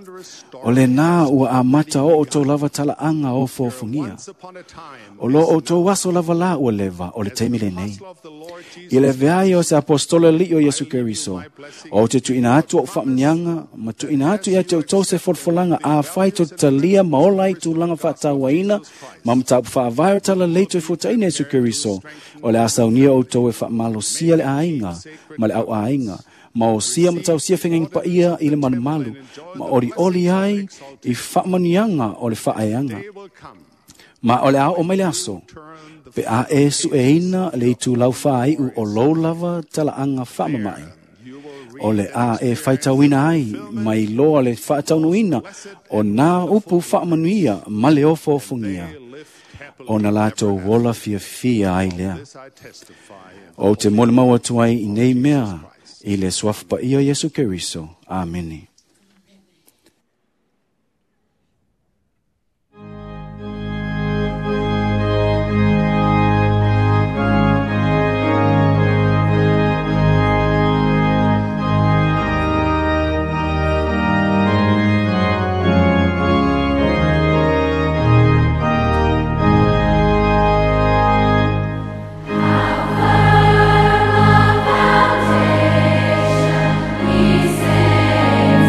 Speaker 7: O le nā ua amata o outou lava talaanga o fōfungia. O lo outou aso lava la ua leva o le taimi lenei. I le veai o se apostolo li o Yesu Keriso. O te tuina atu o whaamnianga, ma tuina atu ia te outou se folafolanga a whai to talia maola i tūlanga whaatauaina, ma mtapu whaavae tala leito i futaina Yesu Keriso. O le asaunia outou e whaamalosia le ainga, ma le au ainga. Ma o sia ma tau sia whenga pa ia i le manumalu, ma ori oli ai i whaamanianga o le whaeanga. Ma o le ao o mai le aso, pe a e su e ina le itu lau whaai u o lou lava talaanga whaamamai. O le a e whaitauina ai, mai loa le whaataunuina o nā upu whaamanuia ma le ofo ofungia. O na lātou wola fia fia ai lea. O te mole mau atu ai i nei mea, i le suafa paia Yesu Keriso. Amene.
Speaker 3: We sing.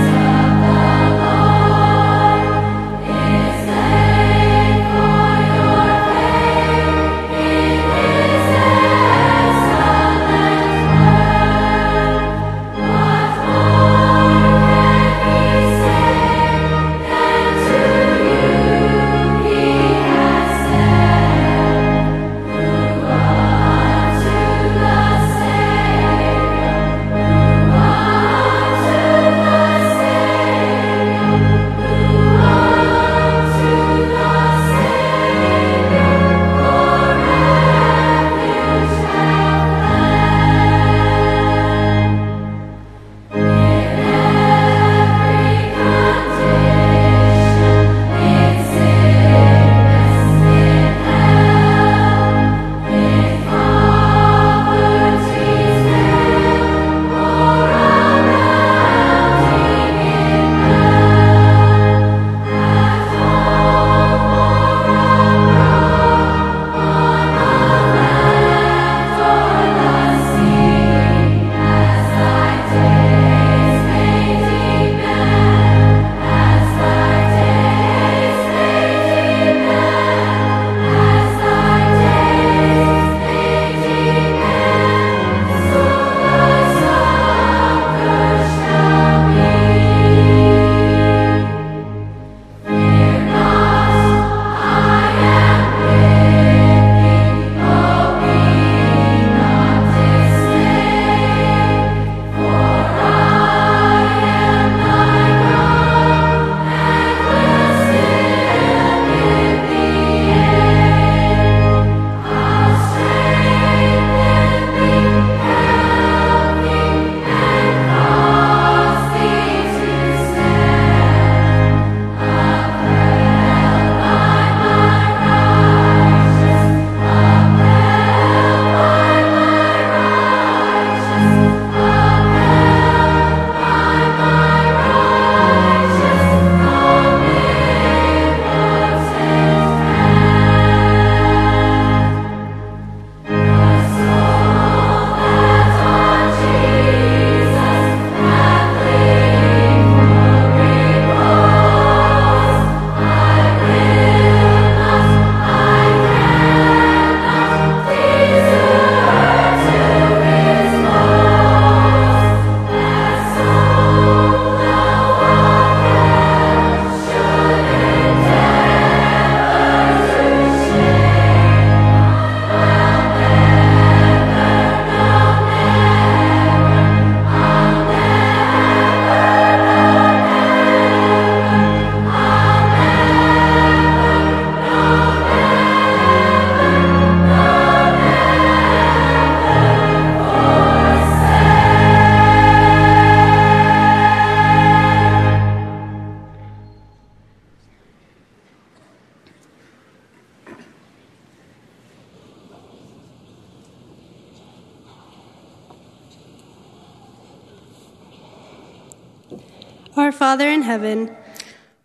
Speaker 1: Our Father in heaven,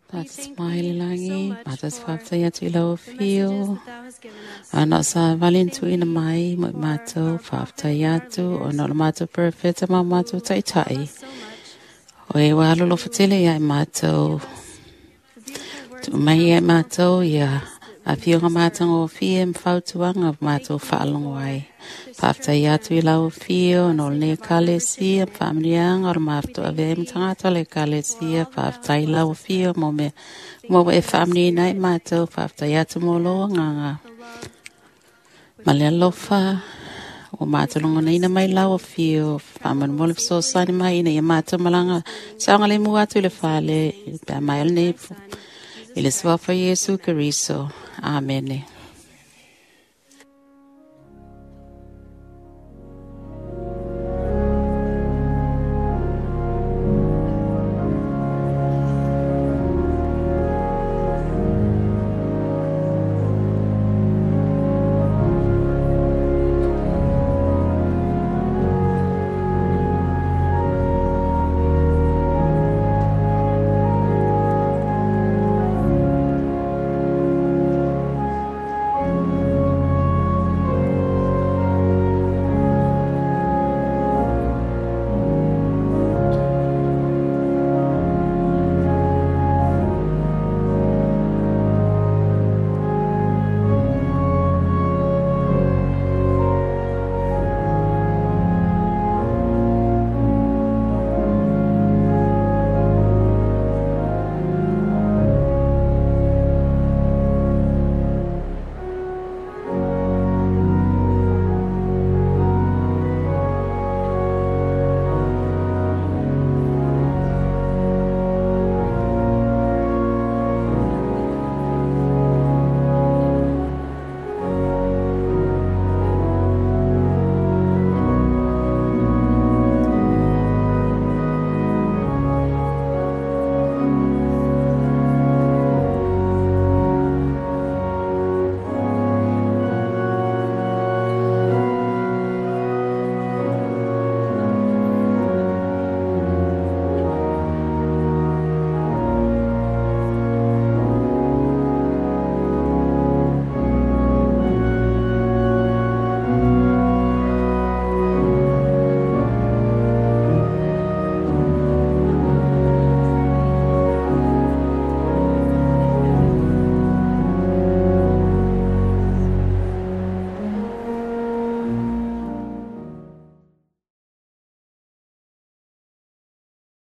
Speaker 2: Tātou mai le langi, mātou te whāptai atu i lau whio. Ana o sa valin tuina mai, mo i mātou whāptai atu, o no le mātou perfecta ma mātou taitai. O e wā lolo whatele ia i mātou. Tu mai ia i mātou ia a whionga mātanga o whie mwhautuanga o mātou whaalongo ai. Whāptai atu i lau whio, no le kalesia, whaamrianga o mātou ave mtangata le kalesia, whāptai lau whio mo me mo e whaamri nai mātou, whāptai atu mo loa nganga. Ma le alofa, o mātou longo neina mai lau whio, whaamanu mo le sosani mai ina ia mātou malanga, saonga le mua atu le whale, pea mai ole nei, i le suafa Iesu Keriso. Amene.